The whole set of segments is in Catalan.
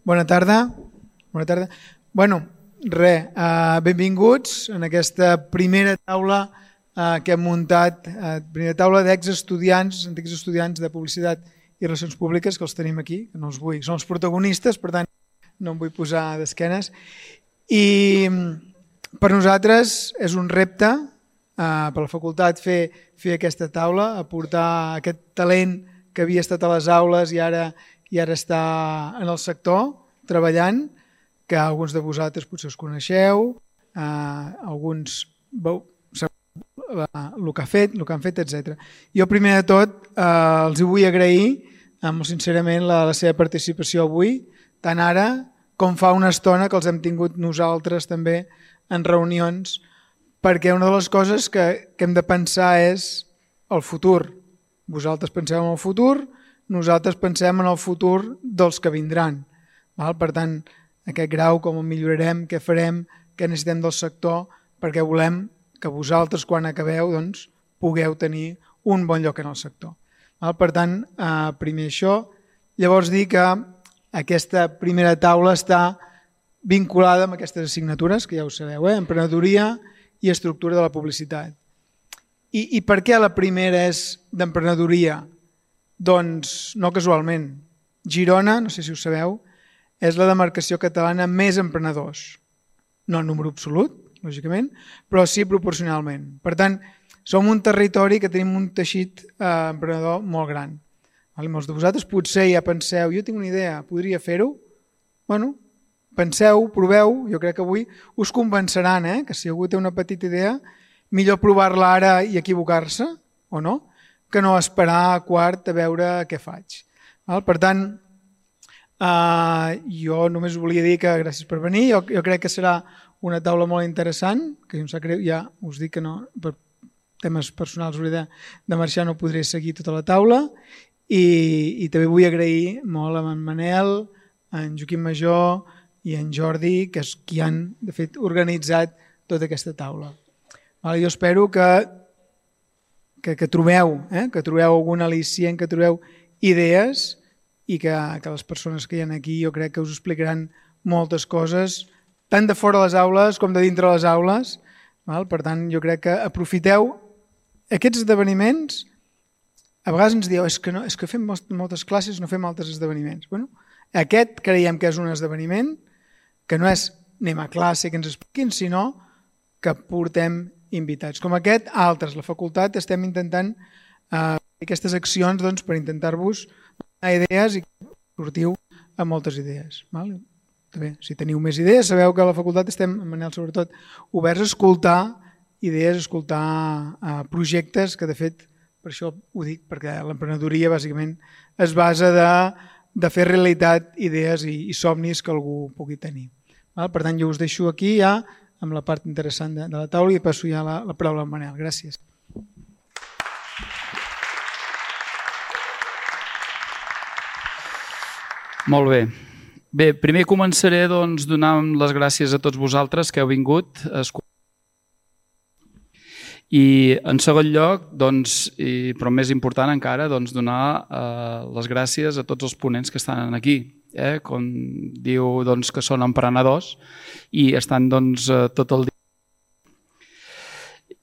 Bona tarda. Benvinguts en aquesta primera taula que hem muntat, primera taula d'exestudiants, antics estudiants de Publicitat i Relacions Públiques, que els tenim aquí, que no els vull, són els protagonistes, per tant no em vull posar d'esquenes. I per nosaltres és un repte per la facultat fer aquesta taula, aportar aquest talent que havia estat a les aules i ara està en el sector treballant, que alguns de vosaltres potser us coneixeu, alguns el que han fet, etc. Jo primer de tot els vull agrair molt sincerament la seva participació avui, tant ara com fa una estona que els hem tingut nosaltres també en reunions, perquè una de les coses que hem de pensar és el futur. Vosaltres penseu en el futur, nosaltres pensem en el futur dels que vindran. Per tant, aquest grau, com el millorarem, què farem, què necessitem del sector, perquè volem que vosaltres, quan acabeu, pugueu tenir un bon lloc en el sector. Per tant, primer això. Llavors dir que aquesta primera taula està vinculada amb aquestes assignatures, que ja ho sabeu, emprenedoria i estructura de la publicitat. I per què la primera és d'emprenedoria? Doncs no casualment. Girona, no sé si ho sabeu, és la demarcació catalana amb més emprenedors. No en número absolut, lògicament, però sí proporcionalment. Per tant, som un territori que tenim un teixit emprenedor molt gran. Molts de vosaltres potser ja penseu, jo tinc una idea, podria fer-ho? Bueno, penseu, proveu, jo crec que avui us convenceran, que si algú té una petita idea, millor provar-la ara i equivocar-se, o no, que no esperar a quart a veure què faig. Per tant, jo només volia dir que gràcies per venir, jo crec que serà una taula molt interessant, que ja us dic que no, per temes personals hauré de marxar, no podré seguir tota la taula, i també vull agrair molt a en Manel, a en Joaquim Major i en Jordi, que és qui han de fet organitzat tota aquesta taula. Jo espero que trobeu algun al·licient, que trobeu idees i que les persones que hi ha aquí jo crec que us explicaran moltes coses, tant de fora les aules com de dintre les aules. Per tant, jo crec que aprofiteu aquests esdeveniments. A vegades ens dieu, és que fem moltes classes, no fem altres esdeveniments. Aquest creiem que és un esdeveniment que no és anem a classe que ens expliquin, sinó que portem invitats. Com aquest, altres. La facultat estem intentant fer aquestes accions per intentar-vos donar idees i que sortiu amb moltes idees. També, si teniu més idees, sabeu que a la facultat estem, en Manel sobretot, oberts a escoltar idees, a escoltar projectes, que de fet, per això ho dic, perquè l'emprenedoria bàsicament es basa de fer realitat idees i somnis que algú pugui tenir. Per tant, jo us deixo aquí ja amb la part interessant de la taula i passo ja la paraula a Manel. Gràcies. Molt bé. Bé, primer començaré donant les gràcies a tots vosaltres que heu vingut a escoltar. I en segon lloc, però més important encara, donar les gràcies a tots els ponents que estan aquí. Com diu que són emprenedors i estan tot el dia.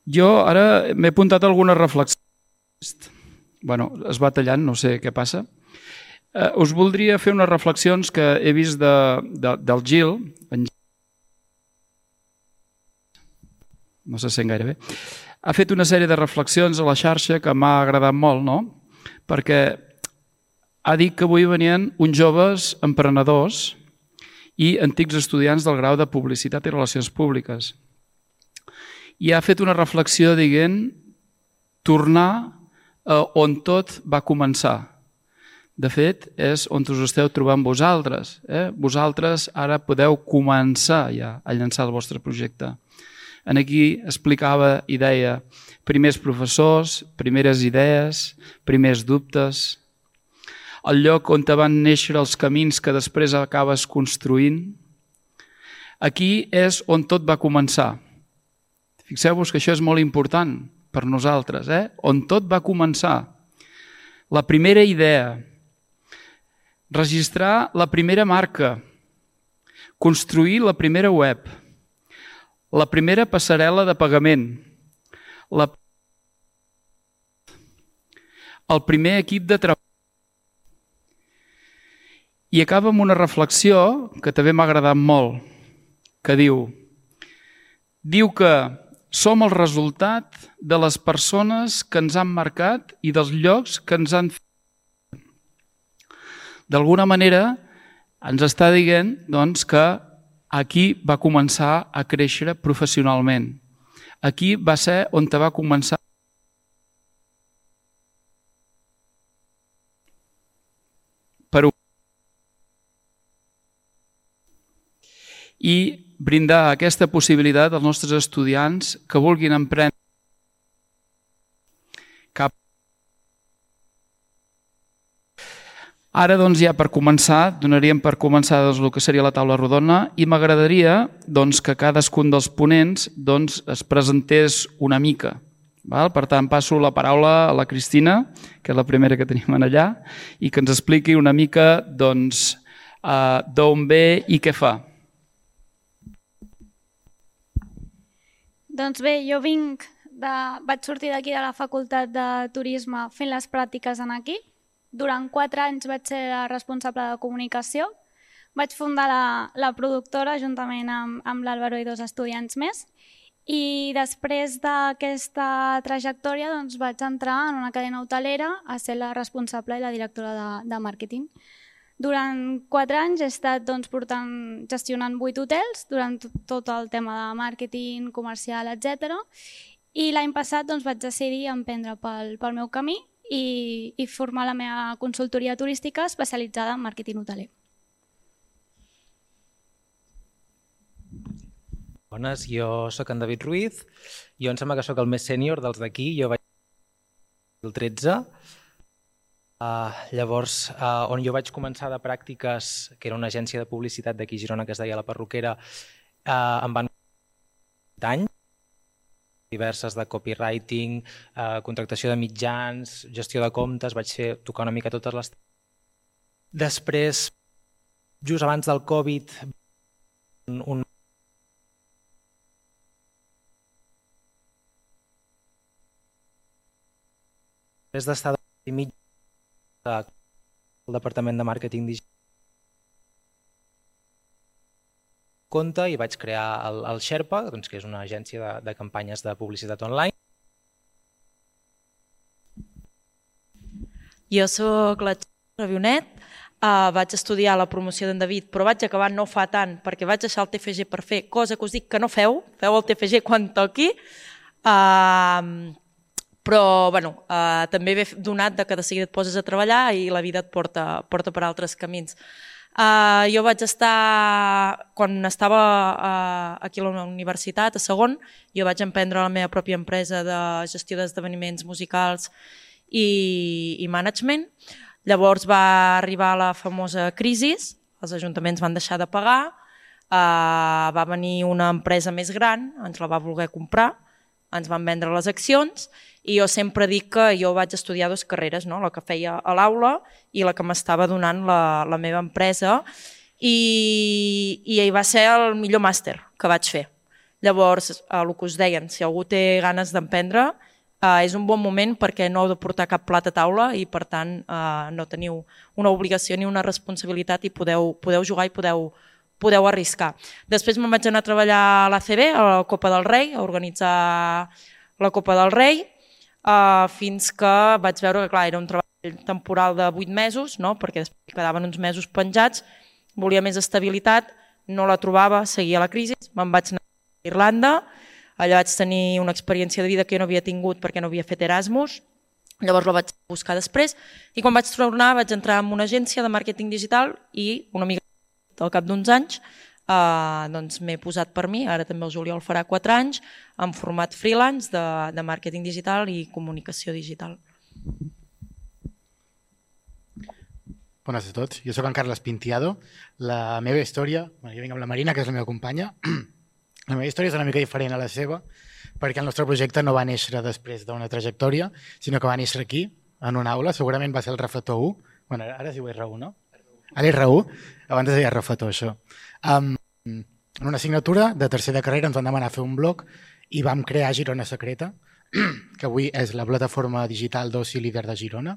Jo ara m'he apuntat algunes reflexions. Es va tallant, no sé què passa. Us voldria fer unes reflexions que he vist del Gil. No se sent gaire bé. Ha fet una sèrie de reflexions a la xarxa que m'ha agradat molt, no? Perquè ha dit que avui venien uns joves emprenedors i antics estudiants del grau de Publicitat i Relacions Públiques. I ha fet una reflexió dient tornar on tot va començar. De fet, és on us esteu trobant vosaltres. Vosaltres ara podeu començar ja a llançar el vostre projecte. Aquí explicava i deia primers professors, primeres idees, primers dubtes, el lloc on van néixer els camins que després acabes construint. Aquí és on tot va començar. Fixeu-vos que això és molt important per nosaltres, on tot va començar. La primera idea. registrar la primera marca, construir la primera web, la primera passarel·la de pagament, el primer equip de treball. I acaba amb una reflexió que també m'ha agradat molt, que diu que som el resultat de les persones que ens han marcat i dels llocs que ens han fet. D'alguna manera ens està dient doncs, que aquí va començar a créixer professionalment. Aquí va ser on va començar i brindar aquesta possibilitat als nostres estudiants que vulguin emprendre cap. Ara, doncs, ja per començar, donaríem per començar el que seria la taula rodona i m'agradaria que cadascun dels ponents es presentés una mica. Per tant, passo la paraula a la Cristina, que és la primera que tenim allà, i que ens expliqui una mica d'on ve i què fa. Doncs bé, jo vaig sortir d'aquí de la Facultat de Turisme fent les pràctiques aquí. Durant 4 anys vaig ser la responsable de comunicació. Vaig fundar la productora juntament amb l'Àlvaro i 2 estudiants més. I després d'aquesta trajectòria vaig entrar en una cadena hotelera a ser la responsable i la directora de màrqueting. Durant 4 anys he estat gestionant 8 hotels durant tot el tema de màrqueting, comercial, etc. I l'any passat vaig decidir emprendre pel meu camí i formar la meva consultoria turística especialitzada en màrqueting hoteler. Bones, jo sóc en David Ruiz, jo em sembla que sóc el més sènior dels d'aquí, jo vaig el 2013. Llavors, on jo vaig començar de pràctiques, que era una agència de publicitat d'aquí a Girona que es deia La Perruquera, em van 20 anys, diverses de copywriting, contractació de mitjans, gestió de comptes, vaig tocar una mica totes les... Després, just abans del Covid, després d'estar de mig al departament de màrqueting digital compte i vaig crear el Sherpa, que és una agència de campanyes de publicitat online. Jo sóc la Ravionet, vaig estudiar la promoció d'en David, però vaig acabar no fa tant perquè vaig deixar el TFG per fer cosa que us dic que no feu el TFG quan toqui, però també ve donat que de seguida et poses a treballar i la vida et porta per altres camins. Jo vaig estar, quan estava aquí a la universitat, a segon, jo vaig emprendre la meva pròpia empresa de gestió d'esdeveniments musicals i management. Llavors va arribar la famosa crisi, els ajuntaments van deixar de pagar, va venir una empresa més gran, ens la va voler comprar, ens van vendre les accions i jo sempre dic que jo vaig estudiar 2 carreres, la que feia a l'aula i la que m'estava donant la meva empresa i va ser el millor màster que vaig fer. Llavors, el que us deien, si algú té ganes d'emprendre, és un bon moment perquè no heu de portar cap plat a taula i per tant no teniu una obligació ni una responsabilitat i podeu jugar i podeu arriscar. Després me'n vaig anar a treballar a l'ACB, a la Copa del Rei, a organitzar la Copa del Rei, fins que vaig veure que clar, era un treball temporal de 8 mesos, perquè després quedaven uns mesos penjats, volia més estabilitat, no la trobava, seguia la crisi, me'n vaig anar a Irlanda, allà vaig tenir una experiència de vida que jo no havia tingut perquè no havia fet Erasmus, llavors la vaig buscar després i quan vaig tornar vaig entrar en una agència de màrqueting digital i una mica al cap d'uns anys m'he posat per mi, ara també el juliol farà 4 anys, en format freelance de màrqueting digital i comunicació digital. Bones a tots, jo sóc en Carles Pintiado. La meva història, jo vinc amb la Marina, que és la meva companya, la meva història és una mica diferent a la seva, perquè el nostre projecte no va néixer després d'una trajectòria, sinó que va néixer aquí, en una aula, segurament va ser el refletor 1, ara es diu R1, no? a l'R1, abans es deia Refetó, això. En una assignatura de tercer de carrera ens van demanar fer un blog i vam crear Girona Secreta, que avui és la plataforma digital d'oci líder de Girona.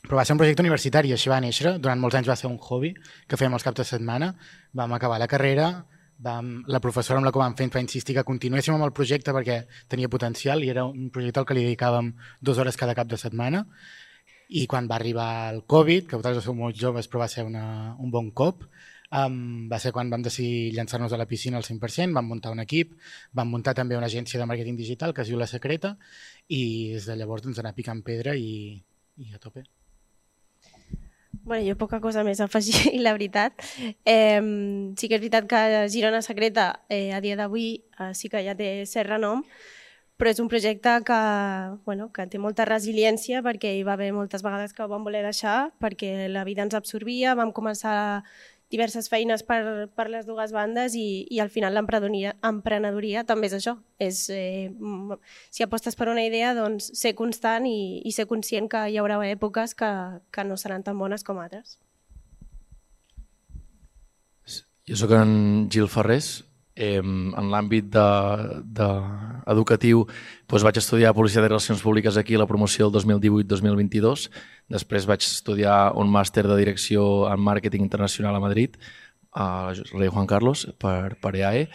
Però va ser un projecte universitari, així va néixer. Durant molts anys va ser un hobby que fèiem els caps de setmana. Vam acabar la carrera, la professora amb la que vam fer ens va insistir que continuéssim amb el projecte perquè tenia potencial i era un projecte al que li dedicàvem 2 hores cada cap de setmana. I quan va arribar el Covid, que vosaltres sou molt joves però va ser un bon cop, va ser quan vam decidir llançar-nos a la piscina al 100%, vam muntar un equip, vam muntar també una agència de màrqueting digital que es diu La Secreta i des de llavors ens anar picant pedra i a tope. Bueno, jo poca cosa més a afegir, la veritat. Sí que és veritat que Girona Secreta a dia d'avui sí que ja té cert renom, però és un projecte que té molta resiliència perquè hi va haver moltes vegades que ho vam voler deixar perquè la vida ens absorbia, vam començar diverses feines per les dues bandes i al final l'emprenedoria també és això. Si apostes per una idea, doncs ser constant i ser conscient que hi haurà èpoques que no seran tan bones com altres. Jo soc en Gil Ferrés. En l'àmbit educatiu vaig estudiar Publicitat i Relacions Públiques aquí a la promoció del 2018-2022. Després vaig estudiar un màster de direcció en màrqueting internacional a Madrid, a Rei Juan Carlos, per EAE.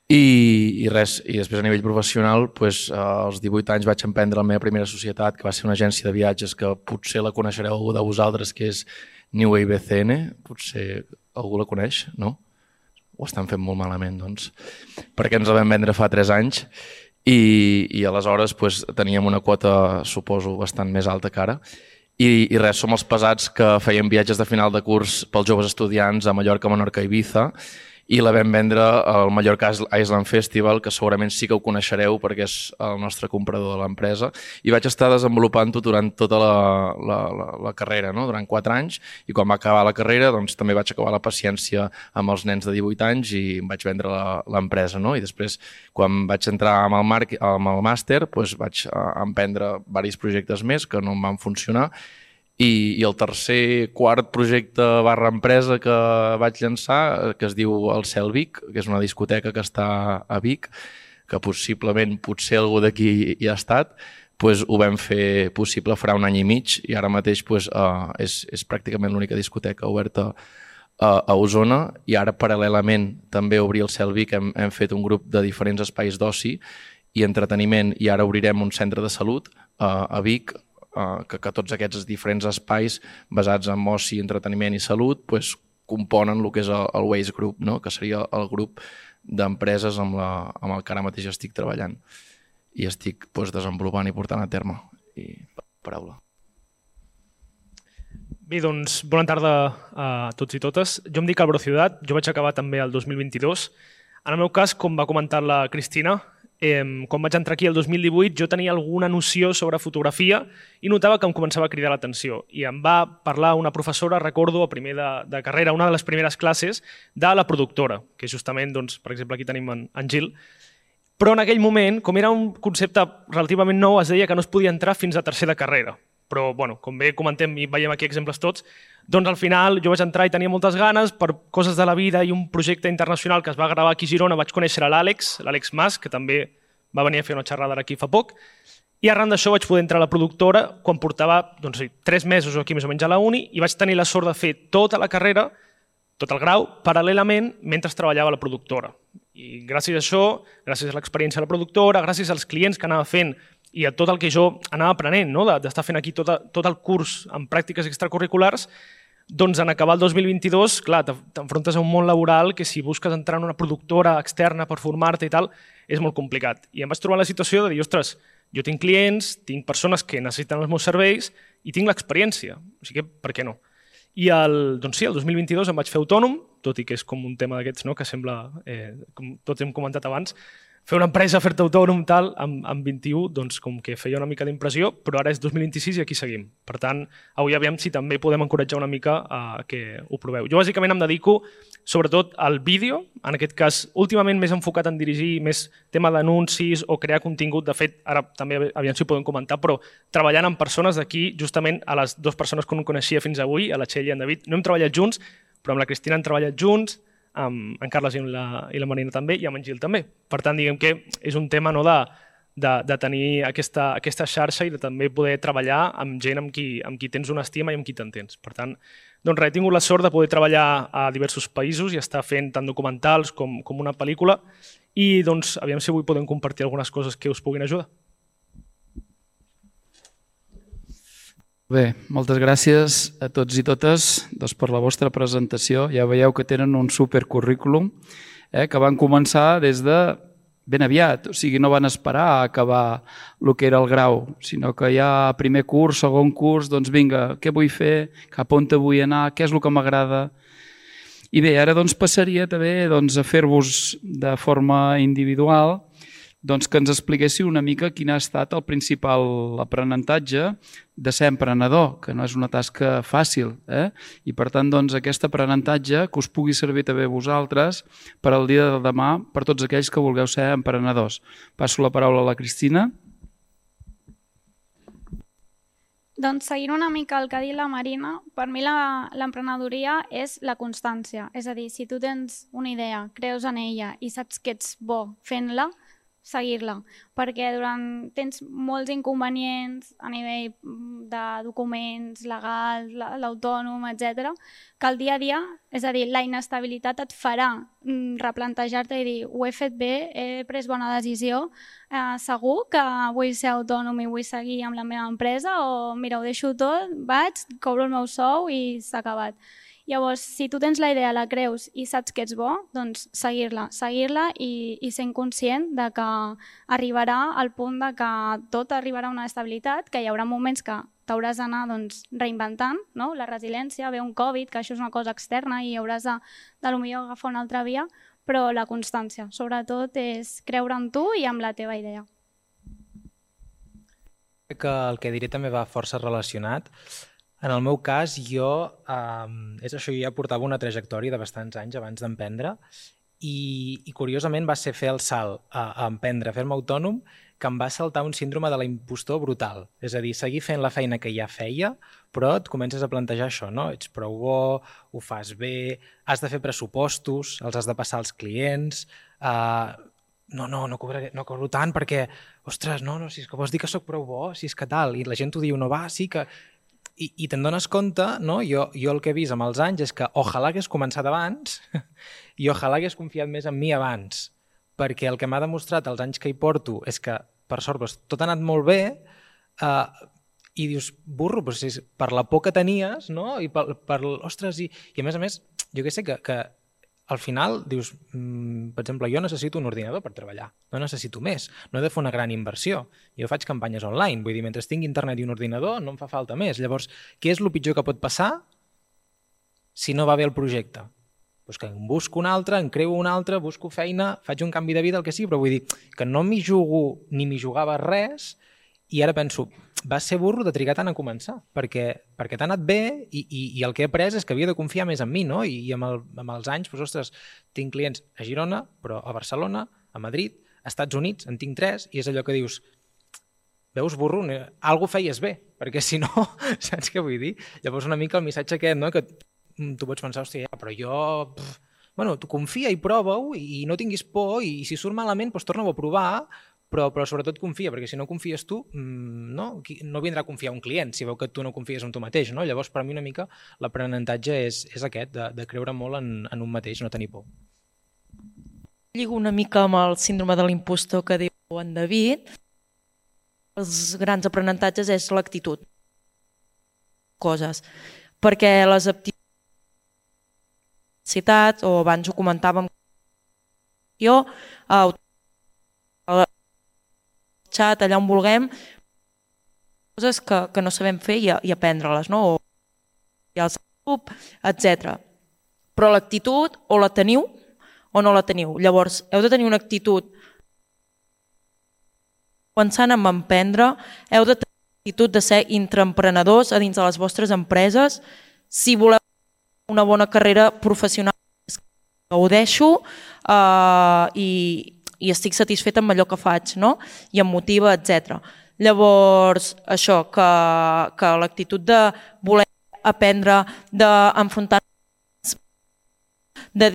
I després a nivell professional, als 18 anys vaig emprendre la meva primera societat, que va ser una agència de viatges que potser la coneixereu algú de vosaltres, que és New Wave BCN. Potser algú la coneix, no? Ho estan fent molt malament, doncs, perquè ens la vam vendre fa 3 anys i aleshores teníem una quota, suposo, bastant més alta que ara. I som els pesats que feien viatges de final de curs pels joves estudiants a Mallorca, Menorca i Ibiza i la vam vendre al Mallorca Island Festival, que segurament sí que ho coneixereu perquè és el nostre comprador de l'empresa, i vaig estar desenvolupant-ho durant tota la carrera, no? Durant 4 anys, i quan va acabar la carrera doncs, també vaig acabar la paciència amb els nens de 18 anys i em vaig vendre l'empresa, no? I després, quan vaig entrar amb el màster, vaig emprendre diversos projectes més que no em van funcionar. I el quart projecte / empresa que vaig llançar, que es diu el Cel Vic, que és una discoteca que està a Vic, que potser algú d'aquí hi ha estat, ho vam fer possible farà 1 any i mig i ara mateix és pràcticament l'única discoteca oberta a Osona i ara paral·lelament també obrir el Cel Vic hem fet un grup de diferents espais d'oci i entreteniment i ara obrirem un centre de salut a Vic que tots aquests diferents espais basats en oci, entreteniment i salut componen el que és el Waze Group, no? Que seria el grup d'empreses amb el que ara mateix estic treballant i estic desenvolupant i portant a terme. I paraula. Bé, doncs, bona tarda a tots i totes. Jo em dic Álvaro Ciudad, jo vaig acabar també el 2022. En el meu cas, com va comentar la Cristina, quan vaig entrar aquí el 2018 jo tenia alguna noció sobre fotografia i notava que em començava a cridar l'atenció i em va parlar una professora, recordo, a primer de carrera, una de les primeres classes de la productora, que justament, doncs, per exemple, aquí tenim en Gil, però en aquell moment, com era un concepte relativament nou, es deia que no es podia entrar fins a tercer de carrera. Però, bueno, com bé comentem i veiem aquí exemples tots, doncs al final jo vaig entrar i tenia moltes ganes per coses de la vida i un projecte internacional que es va gravar aquí a Girona. Vaig conèixer l'Àlex Mas, que també va venir a fer una xerrada aquí fa poc, i arran d'això vaig poder entrar a la productora quan portava 3 mesos o aquí més o menys a la uni i vaig tenir la sort de fer tota la carrera, tot el grau, paral·lelament mentre treballava a la productora. I gràcies a això, gràcies a l'experiència de la productora, gràcies als clients que anava fent i a tot el que jo anava aprenent, no? D'estar fent aquí tot el curs en pràctiques extracurriculars, doncs en acabar el 2022, clar, t'enfrontes a un món laboral que si busques entrar en una productora externa per formar-te i tal, és molt complicat. I em vaig trobar la situació de dir, ostres, jo tinc clients, tinc persones que necessiten els meus serveis i tinc l'experiència, o sigui, per què no? I el 2022 em vaig fer autònom, tot i que és com un tema d'aquests, no? Que sembla, com tots hem comentat abans, fer una empresa, fer-te autònom, tal, amb 21, doncs com que feia una mica d'impressió, però ara és 2026 i aquí seguim. Per tant, avui aviam si també podem encoratjar una mica que ho proveu. Jo bàsicament em dedico sobretot al vídeo, en aquest cas últimament més enfocat en dirigir més tema d'anuncis o crear contingut. De fet, ara també aviam si ho podem comentar, però treballant amb persones d'aquí, justament a les dues persones que no coneixia fins avui, a la Txell i en David, no hem treballat junts, però amb la Cristina hem treballat junts, amb en Carles i la Marina també, i amb en Gil també. Per tant, diguem que és un tema de tenir aquesta xarxa i de també poder treballar amb gent amb qui tens una estima i amb qui t'entens. Per tant, doncs he tingut la sort de poder treballar a diversos països i estar fent tant documentals com una pel·lícula i doncs aviam si avui podem compartir algunes coses que us puguin ajudar. Bé, moltes gràcies a tots i totes per la vostra presentació. Ja veieu que tenen un supercurrículum que van començar des de ben aviat. O sigui, no van esperar a acabar el que era el grau, sinó que ja primer curs, segon curs, doncs vinga, què vull fer, cap on vull anar, què és el que m'agrada. I bé, ara doncs passaria també a fer-vos de forma individual que ens expliquéssiu una mica quin ha estat el principal aprenentatge de ser emprenedor, que no és una tasca fàcil. I per tant, aquest aprenentatge que us pugui servir també a vosaltres per al dia de demà, per tots aquells que vulgueu ser emprenedors. Passo la paraula a la Cristina. Doncs seguint una mica el que ha dit la Marina, per mi l'emprenedoria és la constància. És a dir, si tu tens una idea, creus en ella i saps que ets bo fent-la, seguir-la, perquè tens molts inconvenients a nivell de documents, legals, l'autònom, etc., que el dia a dia, és a dir, la inestabilitat et farà replantejar-te i dir ho he fet bé, he pres bona decisió, segur que vull ser autònom i vull seguir amb la meva empresa o mira, ho deixo tot, vaig, cobro el meu sou i s'ha acabat. Llavors, si tu tens la idea, la creus i saps que ets bo, doncs seguir-la i sent conscient de que arribarà al punt de que tot arribarà a una estabilitat, que hi haurà moments que t'hauràs d'anar reinventant, la resiliència, ve un Covid, que això és una cosa externa i hauràs de potser agafar una altra via, però la constància, sobretot, és creure en tu i amb la teva idea. Que el que diré també va força relacionat. En el meu cas, jo ja portava una trajectòria de bastants anys abans d'emprendre i curiosament va ser fer el salt a emprendre, a fer-me autònom, que em va saltar un síndrome de l'impostor brutal. És a dir, seguir fent la feina que ja feia, però et comences a plantejar això, no? Ets prou bo, ho fas bé, has de fer pressupostos, els has de passar als clients, no cobro tant perquè, ostres, si és que vols dir que sóc prou bo, si és que tal, i la gent t'ho diu, no va, sí que... I te'n dones compte, jo el que he vist amb els anys és que ojalà hagués començat abans i ojalà hagués confiat més en mi abans, perquè el que m'ha demostrat els anys que hi porto és que, per sort, tot ha anat molt bé i dius, burro, per la por que tenies, i ostres, i a més, jo què sé, que al final dius, per exemple, jo necessito un ordinador per treballar, no necessito més, no he de fer una gran inversió. Jo faig campanyes online, vull dir, mentre tingui internet i un ordinador no em fa falta més. Llavors, què és el pitjor que pot passar si no va bé el projecte? Doncs que en busco un altre, en creo un altre, busco feina, faig un canvi de vida, el que sigui, però vull dir que no m'hi jugo ni m'hi jugava res i ara penso, va ser burro de trigar tant a començar, perquè t'ha anat bé i el que he après és que havia de confiar més en mi, no? I amb els anys, ostres, tinc clients a Girona, però a Barcelona, a Madrid, a Estats Units, en tinc 3, i és allò que dius, veus, burro, alguna feies bé, perquè si no, saps què vull dir? Llavors una mica el missatge aquest, no? Que tu pots pensar, hòstia, però jo... Bueno, tu confia i prova-ho i no tinguis por i si surt malament, doncs torna-ho a provar, però sobretot confia, perquè si no confies tu, no vindrà a confiar un client si veu que tu no confies en tu mateix. No? Llavors, per mi una mica l'aprenentatge és aquest, de creure molt en un mateix, no tenir por. Lligo una mica amb el síndrome de l'impostor que diu en David. Els grans aprenentatges és l'actitud. Coses. Perquè les aptituds, o abans ho comentàvem, xat, allà on vulguem, coses que no sabem fer i aprendre-les, no? O el grup, etc. Però l'actitud o la teniu o no la teniu. Llavors, heu de tenir una actitud pensant en emprendre, heu de tenir l'actitud de ser intraemprenedors a dins de les vostres empreses. Si voleu una bona carrera professional, gaudeixo i estic satisfeta amb allò que faig, no? I em motiva, etc. Llavors, això, que l'actitud de voler aprendre, d'enfrontar-nos, és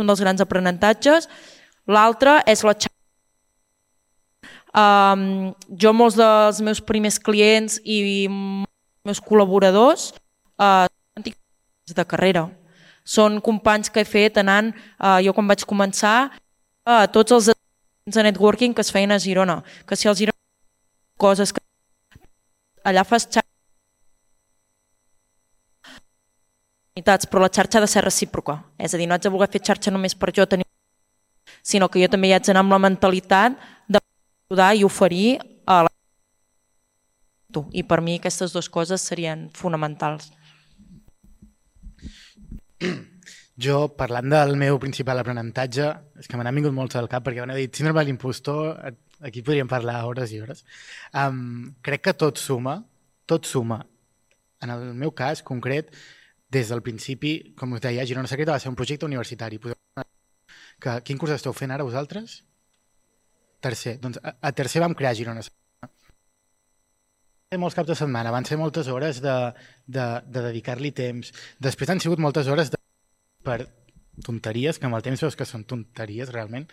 un dels grans aprenentatges. L'altre és la xarxa. Jo, molts dels meus primers clients i meus col·laboradors són antics de carrera. Són companys que he fet anant, jo quan vaig començar, a tots els esdeveniments de networking que es feien a Girona. Que si els Girona coses que allà fas xarxa, però la xarxa ha de ser recíproca. És a dir, no haig de voler fer xarxa només per jo tenir, sinó que jo també hi haig d'anar amb la mentalitat d'ajudar i oferir a la tu. I per mi aquestes dues coses serien fonamentals. Jo, parlant del meu principal aprenentatge, és que me n'han vingut molts al cap perquè m'han dit síndrome de l'impostor, aquí podríem parlar hores i hores. Crec que tot suma. En el meu cas concret, des del principi, com us deia, Girona Secreta va ser un projecte universitari. Quin curs esteu fent ara vosaltres? Tercer. Doncs a tercer vam crear Girona Secreta. Molts caps de setmana, van ser moltes hores de dedicar-li temps. Després han sigut moltes hores per tonteries, que amb el temps veus que són tonteries realment,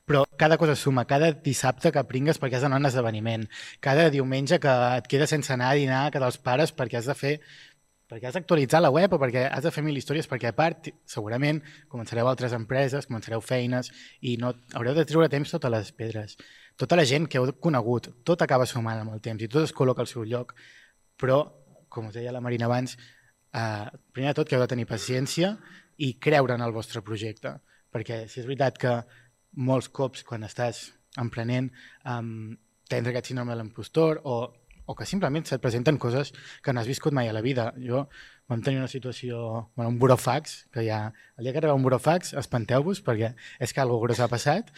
però cada cosa suma, cada dissabte que pringues perquè has d'anar a un esdeveniment, cada diumenge que et quedes sense anar a dinar que dels pares perquè has d'actualitzar la web o perquè has de fer mil històries, perquè a part segurament començareu altres empreses, començareu feines i no haureu de treure temps totes les pedres. Tota la gent que heu conegut, tot acaba sumant amb el temps i tot es col·loca al seu lloc, però, com us deia la Marina abans, primer de tot que heu de tenir paciència i creure en el vostre projecte, perquè si és veritat que molts cops quan estàs emprenent tens aquest síndrome de l'impostor o que simplement se't presenten coses que no has viscut mai a la vida. Jo vam tenir una situació, un burofax, que ja el dia que arriba un burofax espanteu-vos perquè és que alguna cosa gros ha passat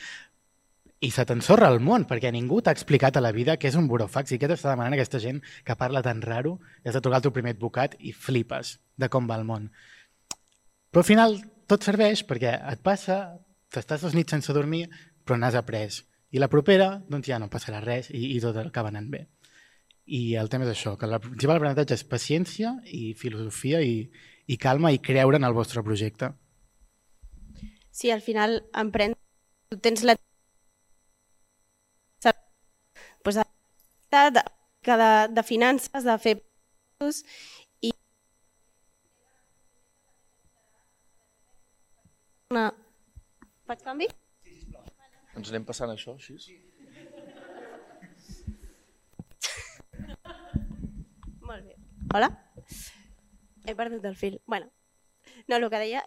i se t'ensorra el món perquè ningú t'ha explicat a la vida què és un burofax i què t'està demanant aquesta gent que parla tan raro i has de trucar el teu primer advocat i flipes de com va el món. Però al final tot serveix perquè et passa, t'estàs 2 nits sense dormir, però n'has après. I la propera, doncs ja no passarà res i tot acaba anant bé. I el tema és això, que el principal aprenentatge és paciència i filosofia i calma i creure en el vostre projecte. Sí, al final emprendre, tu tens la de finances, de fer i faig canvi? Ens anem passant això, així? Molt bé. Hola? He perdut el fil. Bueno, no, el que deia,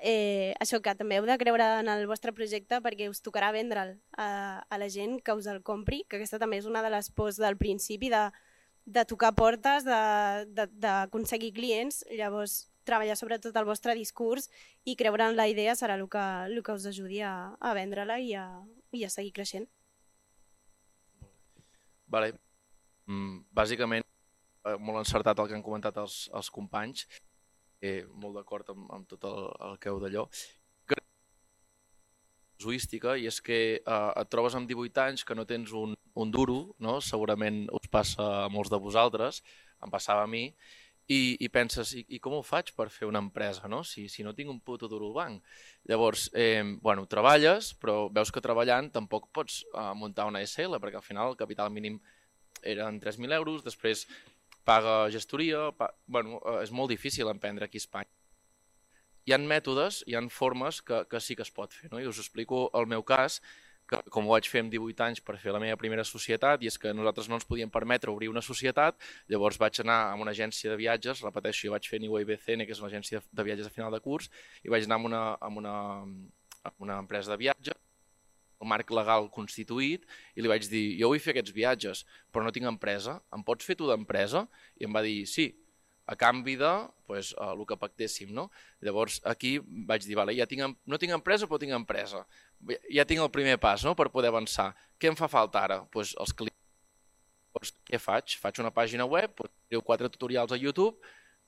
això que també heu de creure en el vostre projecte perquè us tocarà vendre'l a la gent que us el compri, que aquesta també és una de les pors del principi de tocar portes, d'aconseguir clients, llavors treballar sobretot el vostre discurs i creure en la idea serà el que us ajudi a vendre-la i a seguir creixent. Vale. Bàsicament, molt encertat el que han comentat els companys, molt d'acord amb tot el que heu d'allò. Casuística, i és que et trobes amb 18 anys que no tens un duro, no? Segurament us passa a molts de vosaltres, em passava a mi, i penses, i com ho faig per fer una empresa, no? Si no tinc un puto duro al banc? Llavors, treballes, però veus que treballant tampoc pots muntar una SL, perquè al final el capital mínim eren 3.000 euros, després paga gestoria, és molt difícil emprendre aquí a Espanya. Hi ha mètodes, hi ha formes que sí que es pot fer, no? I us explico el meu cas, que com ho vaig fer amb 18 anys per fer la meva primera societat, i és que nosaltres no ens podíem permetre obrir una societat, llavors vaig anar a una agència de viatges, repeteixo, jo vaig fer Niue IBCN, que és una agència de viatges a final de curs, i vaig anar amb una empresa de viatges, el marc legal constituït, i li vaig dir, jo vull fer aquests viatges, però no tinc empresa, em pots fer tu d'empresa? I em va dir, sí, a canvi de el que pactéssim. No? Llavors aquí vaig dir, vale, no tinc empresa però tinc empresa. Ja tinc el primer pas, no?, per poder avançar. Què em fa falta ara? Els clients. Què faig? Faig una pàgina web, treu 4 tutorials a YouTube,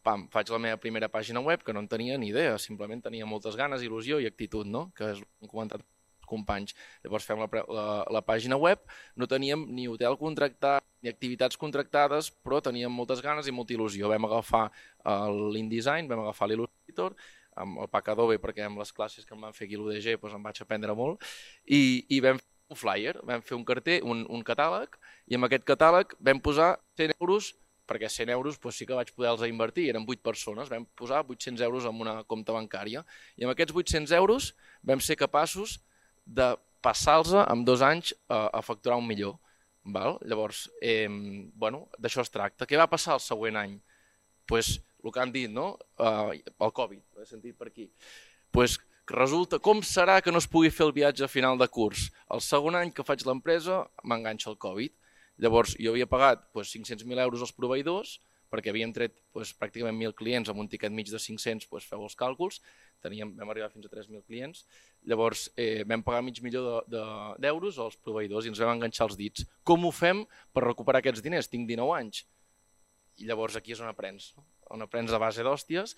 faig la meva primera pàgina web, que no en tenia ni idea, simplement tenia moltes ganes, il·lusió i actitud, no?, que és el que han comentat els companys. Llavors fem la pàgina web, no teníem ni hotel contractat, ni activitats contractades, però teníem moltes ganes i molta il·lusió. Vam agafar l'InDesign, vam agafar l'Illustrator, amb el pack Adobe, perquè amb les classes que em van fer aquí a l'UDG em vaig aprendre molt, i vam fer un flyer, vam fer un carter, un catàleg, i amb aquest catàleg vam posar 100 euros, perquè 100 euros sí que vaig poder-los invertir, eren 8 persones, vam posar 800 euros en una compta bancària, i amb aquests 800 euros vam ser capaços de passar-los en 2 anys a facturar 1 milió. Llavors, d'això es tracta. Què va passar el següent any? El que han dit, no? El Covid, ho he sentit per aquí. Resulta, com serà que no es pugui fer el viatge a final de curs? El segon any que faig l'empresa m'enganxa el Covid. Llavors, jo havia pagat 500.000 euros als proveïdors, perquè havíem tret pràcticament 1.000 clients amb un tiquet mig de 500, feu els càlculs, vam arribar fins a 3.000 clients. Llavors, vam pagar mig milió d'euros als proveïdors i ens vam enganxar els dits. Com ho fem per recuperar aquests diners? Tinc 19 anys. I llavors aquí és on aprens a base d'hòsties,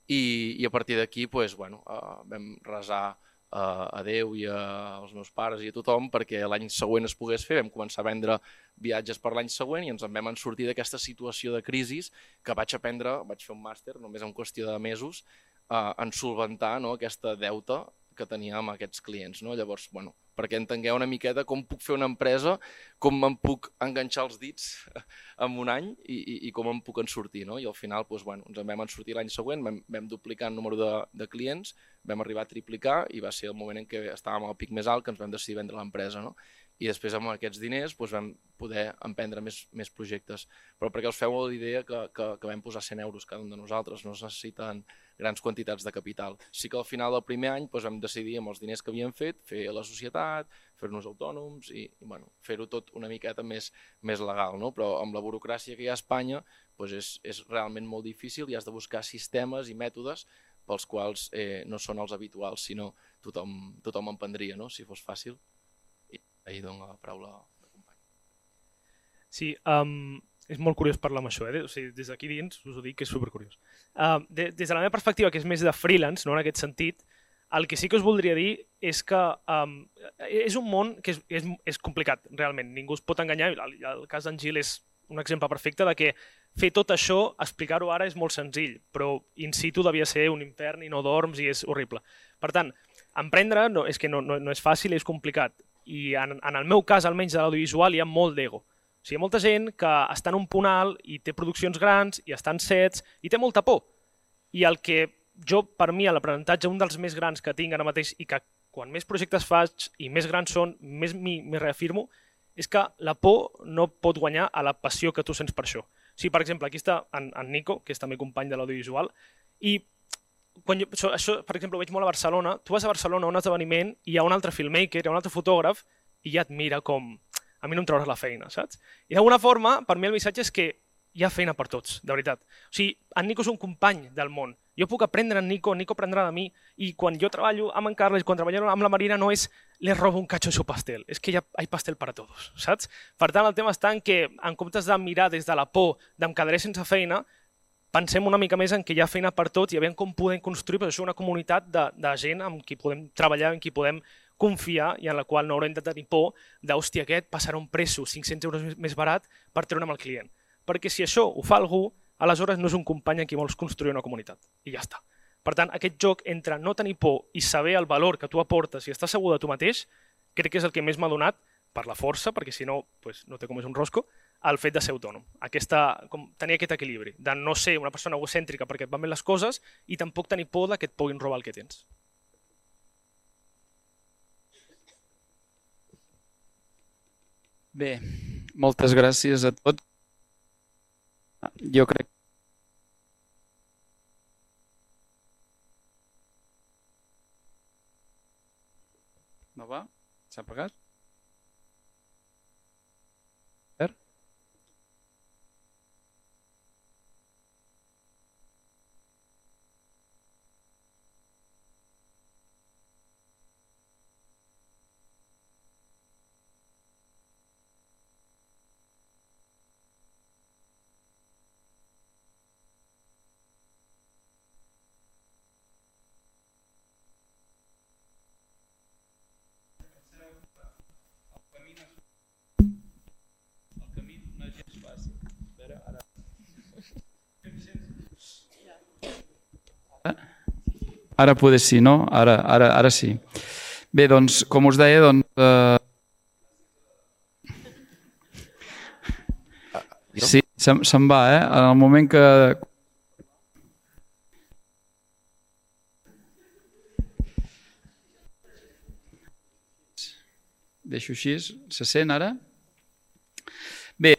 i a partir d'aquí vam resar a Déu i als meus pares i a tothom perquè l'any següent es pogués fer. Vam començar a vendre viatges per l'any següent i ens en vam sortir d'aquesta situació de crisi que vaig fer un màster només en qüestió de mesos en solventar aquesta deuta que tenia amb aquests clients. Llavors, perquè entengueu una miqueta com puc fer una empresa, com me'n puc enganxar els dits en un any i com em puc en sortir. I al final ens en vam sortir l'any següent, vam duplicar el número de clients, vam arribar a triplicar i va ser el moment en què estàvem al pic més alt que ens vam decidir vendre l'empresa. I després amb aquests diners vam poder emprendre més projectes. Però perquè us feu l'idea que vam posar 100 euros cada un de nosaltres, no es necessiten grans quantitats de capital. Sí que al final del primer any vam decidir amb els diners que havíem fet fer la societat, fer-nos autònoms i fer-ho tot una miqueta més legal. Però amb la burocràcia que hi ha a Espanya és realment molt difícil i has de buscar sistemes i mètodes pels quals no són els habituals, sinó tothom en prendria, si fos fàcil. Ahir dono la paraula al company. Sí, és molt curiós parlar amb això. Des d'aquí dins us ho dic que és supercuriós. Des de la meva perspectiva, que és més de freelance, en aquest sentit, el que sí que us voldria dir és que és un món que és complicat, realment. Ningú es pot enganyar. El cas d'en Gil és un exemple perfecte de que fer tot això, explicar-ho ara és molt senzill, però in situ devia ser un infern i no dorms i és horrible. Per tant, emprendre és que no és fàcil i és complicat. I en el meu cas, almenys de l'audiovisual, hi ha molt d'ego. O sigui, hi ha molta gent que està en un punt alt i té produccions grans i està en sets i té molta por. I el que jo, per mi, l'aprenentatge, un dels més grans que tinc ara mateix i que quan més projectes faig i més grans són, més m'hi reafirmo, és que la por no pot guanyar a la passió que tu sents per això. O sigui, per exemple, aquí està en Nico, que és també company de l'audiovisual, i això, per exemple, ho veig molt a Barcelona. Tu vas a Barcelona a un esdeveniment i hi ha un altre filmmaker, hi ha un altre fotògraf i ja et mira com a mi no em trauràs la feina, saps? I d'alguna forma, per mi el missatge és que hi ha feina per tots, de veritat. O sigui, en Nico és un company del món. Jo puc aprendre en Nico aprendrà de mi i quan jo treballo amb en Carles, quan treballo amb la Marina no és les robo un cacho de su pastel, és que ja hi ha pastel per a tots, saps? Per tant, el tema està en que en comptes de mirar des de la por d'em quedaré sense feina, pensem una mica més en que hi ha feina per tots i aviam com podem construir una comunitat de gent amb qui podem treballar, amb qui podem confiar i en la qual no haurem de tenir por d'hòstia, aquest passarà un preço 500 euros més barat per treure'm el client. Perquè si això ho fa algú, aleshores no és un company amb qui vols construir una comunitat. I ja està. Per tant, aquest joc entre no tenir por i saber el valor que tu aportes i estar segur de tu mateix, crec que és el que més m'ha donat, per la força, perquè si no, no té com és un rosco, el fet de ser autònom. Tenir aquest equilibri, de no ser una persona egocèntrica perquè et van bé les coses i tampoc tenir por que et puguin robar el que tens. Bé, moltes gràcies a tots. Jo crec... No va? S'ha apagat? Ara poder sí, no? Ara sí. Bé, doncs, com us deia, sí, se'n va, En el moment que... Deixo així. Se sent ara? Bé,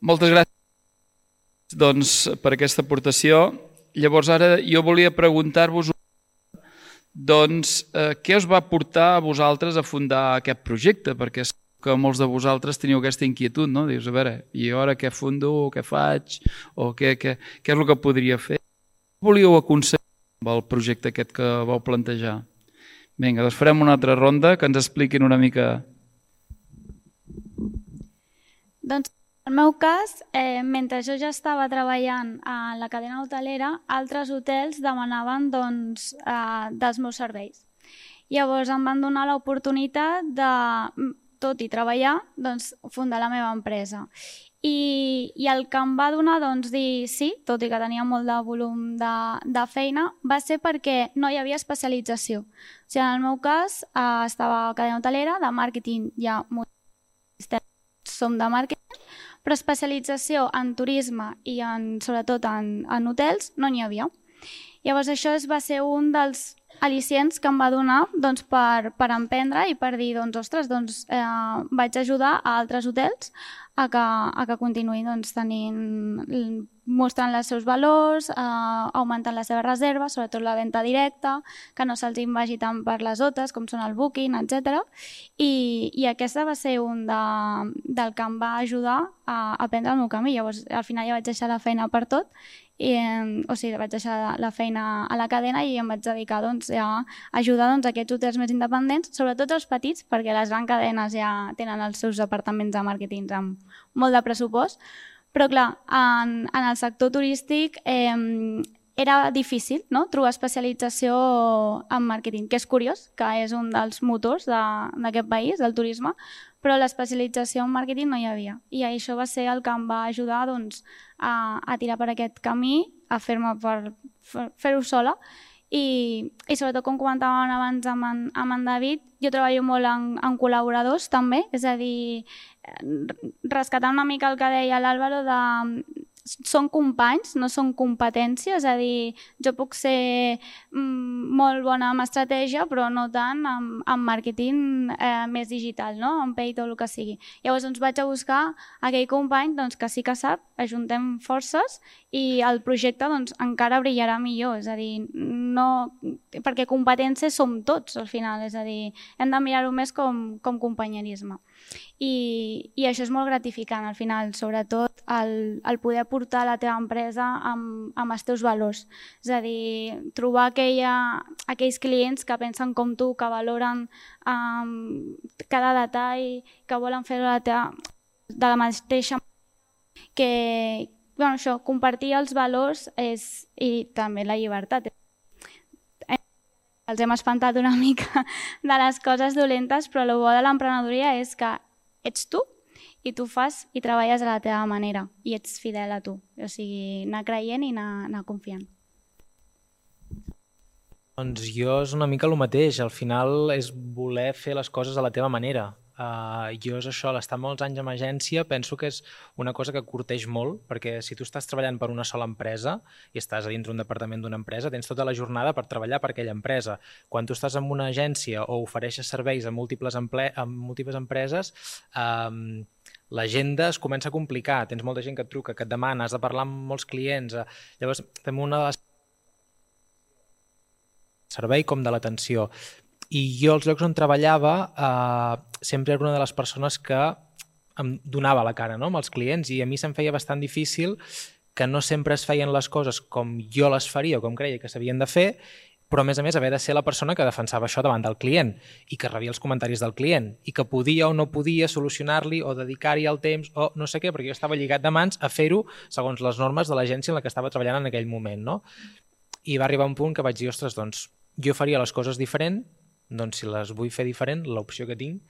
moltes gràcies per aquesta aportació. Llavors ara jo volia preguntar-vos què us va portar a vosaltres a fundar aquest projecte? Perquè és que molts de vosaltres teniu aquesta inquietud, no? Dius, a veure, i ara què fundo, què faig, o què és el que podria fer? Què volíeu aconseguir amb el projecte aquest que vau plantejar? Vinga, doncs farem una altra ronda, que ens expliquin una mica. Doncs, en el meu cas, mentre jo ja estava treballant a la cadena hotelera, altres hotels demanaven dels meus serveis. Llavors em van donar l'oportunitat de, tot i treballar, fundar la meva empresa. I el que em va donar dir sí, tot i que tenia molt de volum de feina, va ser perquè no hi havia especialització. O sigui, en el meu cas, estava a cadena hotelera, de màrqueting ja som de màrqueting, però especialització en turisme i sobretot en hotels no n'hi havia. Llavors això va ser un dels al·licients que em va donar per emprendre i per dir, ostres, vaig ajudar a altres hotels a que continuïn mostrant els seus valors, augmentant la seva reserva, sobretot la venda directa, que no se'ls vagi tant per les OTAs, com són el Booking, etc. I aquesta va ser un del que em va ajudar a aprendre el meu camí. Llavors, al final ja vaig deixar la feina per tot, vaig deixar la feina a la cadena i em vaig dedicar a ajudar aquests hotels més independents, sobretot els petits, perquè les grans cadenes ja tenen els seus departaments de màrqueting amb molt de pressupost. Però clar, en el sector turístic era difícil trobar especialització en màrqueting, que és curiós, que és un dels motors d'aquest país, del turisme, però l'especialització en màrqueting no hi havia. I això va ser el que em va ajudar a tirar per aquest camí, a fer-ho sola. I sobretot, com comentàvem abans amb en David, jo treballo molt en col·laboradors també, és a dir, rescatar una mica el que deia l'Àlvaro són companys, no són competències, és a dir, jo puc ser molt bona en estratègia, però no tant en màrqueting més digital, en paid o el que sigui. Llavors vaig a buscar aquell company que sí que sap, ajuntem forces i el projecte encara brillarà millor, és a dir, perquè competències som tots al final, és a dir, hem de mirar-ho més com companyerisme. I això és molt gratificant al final, sobretot el poder portar la teva empresa amb els teus valors. És a dir, trobar aquells clients que pensen com tu, que valoren cada detall, que volen fer-ho de la mateixa manera, que compartir els valors i també la llibertat. Els hem espantat una mica de les coses dolentes, però el bo de l'emprenedoria és que ets tu i tu fas i treballes a la teva manera i ets fidel a tu. O sigui, anar creient i anar confiant. Doncs jo és una mica el mateix. Al final és voler fer les coses a la teva manera. Jo és això, l'estar molts anys en agència, penso que és una cosa que curteix molt, perquè si tu estàs treballant per una sola empresa i estàs a dintre un departament d'una empresa, tens tota la jornada per treballar per aquella empresa. Quan tu estàs en una agència o ofereixes serveis a múltiples empreses, l'agenda es comença a complicar, tens molta gent que et truca, que et demana, has de parlar amb molts clients. Llavors, també una de les servei com de l'atenció. I jo als llocs on treballava sempre era una de les persones que em donava la cara amb els clients i a mi se'm feia bastant difícil que no sempre es feien les coses com jo les faria o com creia que s'havien de fer, però a més haver de ser la persona que defensava això davant del client i que rebia els comentaris del client i que podia o no podia solucionar-li o dedicar-hi el temps o no sé què, perquè jo estava lligat de mans a fer-ho segons les normes de l'agència en la que estava treballant en aquell moment. I va arribar un punt que vaig dir, ostres, doncs jo faria les coses diferent, doncs si les vull fer diferent, l'opció que tinc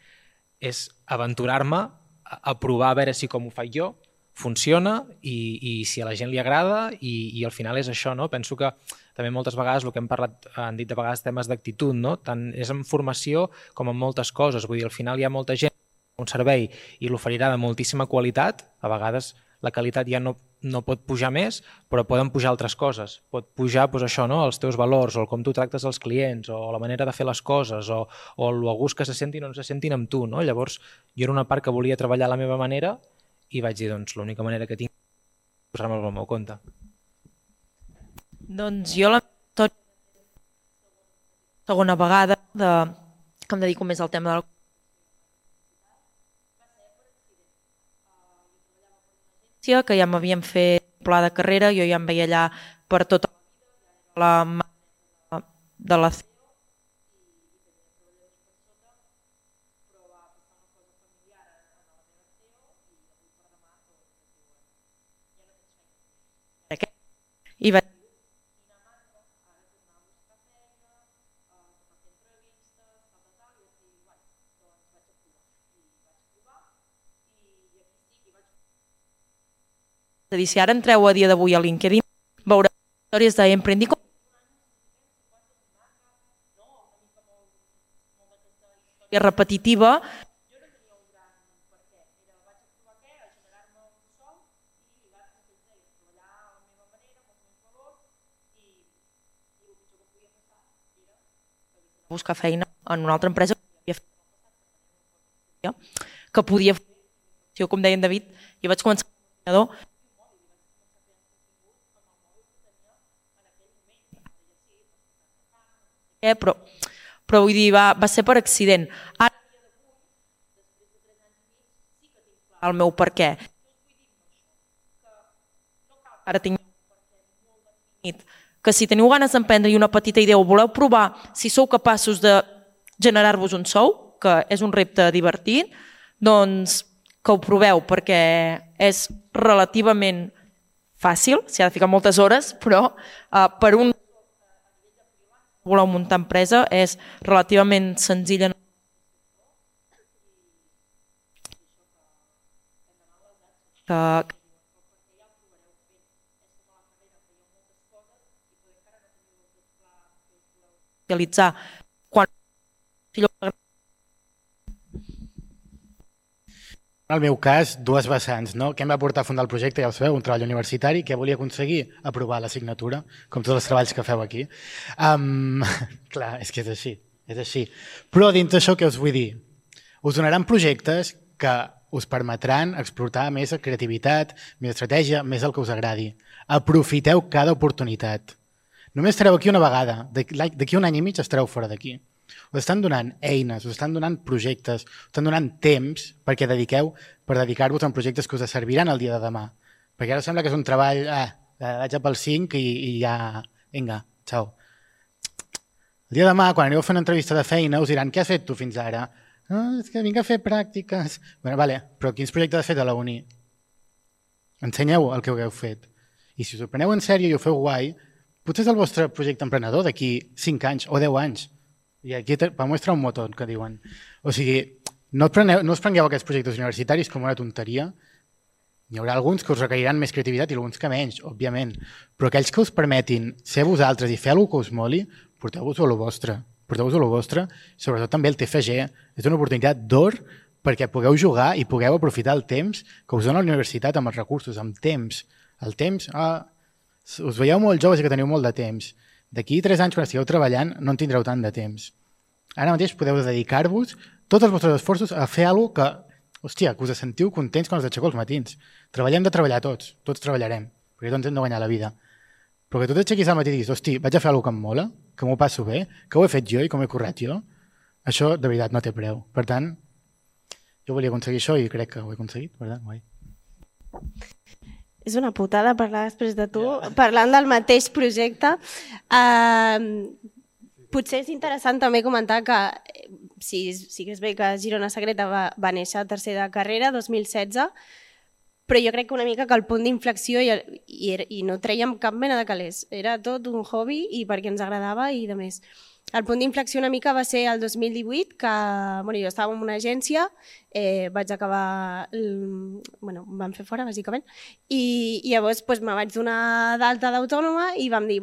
és aventurar-me a provar a veure si com ho faig jo funciona i si a la gent li agrada i al final és això, no? Penso que també moltes vegades el que han dit de vegades temes d'actitud, no? Tant és en formació com en moltes coses. Vull dir, al final hi ha molta gent que un servei i l'oferirà de moltíssima qualitat, a vegades la qualitat ja no pot pujar més, però poden pujar altres coses. Pot pujar això, no? Els teus valors, o com tu tractes els clients, o la manera de fer les coses, o el gust que se sentin o no se sentin amb tu. No? Llavors, jo era una part que volia treballar a la meva manera i vaig dir, doncs, l'única manera que tinc és posar-me al meu compte. Doncs jo la segona vegada que em dedico més al tema de la que ja m'havien fet pla de carrera, jo ja em veia allà per tota la de la i vaig dir, si ara entreu a dia d'avui a LinkedIn, veureu històries d'Emprendi com repetitiva. Buscar feina en una altra empresa que podia fer, com deia en David, jo vaig començar però vull dir, va ser per accident. Ara el meu per què. Ara tinc que si teniu ganes d'emprendre i una petita idea o voleu provar si sou capaços de generar-vos un sou, que és un repte divertit, doncs que ho proveu, perquè és relativament fàcil, s'hi ha de ficar moltes hores, però per un voleu muntar empresa és relativament senzilla. Realitzar quan en el meu cas, dues vessants, no? Què em va portar a fundar el projecte? Ja ho sabeu, un treball universitari que volia aconseguir aprovar l'assignatura, com tots els treballs que feu aquí. Clar, és que és així. Però dins d'això, què us vull dir? Us donaran projectes que us permetran explotar més creativitat, més estratègia, més el que us agradi. Aprofiteu cada oportunitat. Només estareu aquí una vegada. D'aquí un any i mig estareu fora d'aquí. Us estan donant eines, us estan donant projectes, us estan donant temps perquè dedicar-vos a projectes que us serviran el dia de demà. Perquè ara sembla que és un treball, vaig a pel 5 i ja, vinga, xau. El dia de demà, quan aneu a fer una entrevista de feina, us diran, què has fet tu fins ara? És que vinc a fer pràctiques. Bueno, vale, però quins projectes has fet a la uni? Ensenyeu el que heu fet. I si us ho preneu en sèrio i ho feu guai, potser és el vostre projecte emprenedor d'aquí 5 anys o 10 anys. I aquí va mostrar un motor, que diuen. O sigui, no us prengueu aquests projectes universitaris com una tonteria. N'hi haurà alguns que us requeriran més creativitat i alguns que menys, òbviament. Però aquells que us permetin ser vosaltres i fer alguna cosa que us moli, porteu-vos a lo vostre. Porteu-vos a lo vostre. Sobretot també el TFG. És una oportunitat d'or perquè pugueu jugar i pugueu aprofitar el temps que us dona la universitat amb els recursos, amb temps. El temps, us veieu molt joves i que teniu molt de temps. D'aquí 3 anys, quan estigueu treballant, no en tindreu tant de temps. Ara mateix podeu dedicar-vos tots els vostres esforços a fer alguna cosa que, que us sentiu contents quan us aixequeu els matins. Treballem de treballar tots treballarem, perquè tots hem de guanyar la vida. Però que tu t'aixequis al matí i diguis, hosti, vaig a fer alguna cosa que em mola, que m'ho passo bé, que ho he fet jo i com he currat jo, això de veritat no té preu. Per tant, jo volia aconseguir això i crec que ho he aconseguit, per tant, guai. És una putada parlar després de tu, parlant del mateix projecte. Potser és interessant també comentar que sí que és bé que Girona Secreta va néixer a tercer de carrera, 2016, però jo crec que una mica que el punt d'inflexió i no trèiem cap mena de calés. Era tot un hobby i perquè ens agradava i de més. El punt d'inflexió una mica va ser el 2018, que jo estava en una agència, vaig acabar, em van fer fora, bàsicament, i llavors me vaig donar d'alta d'autònoma i vam dir,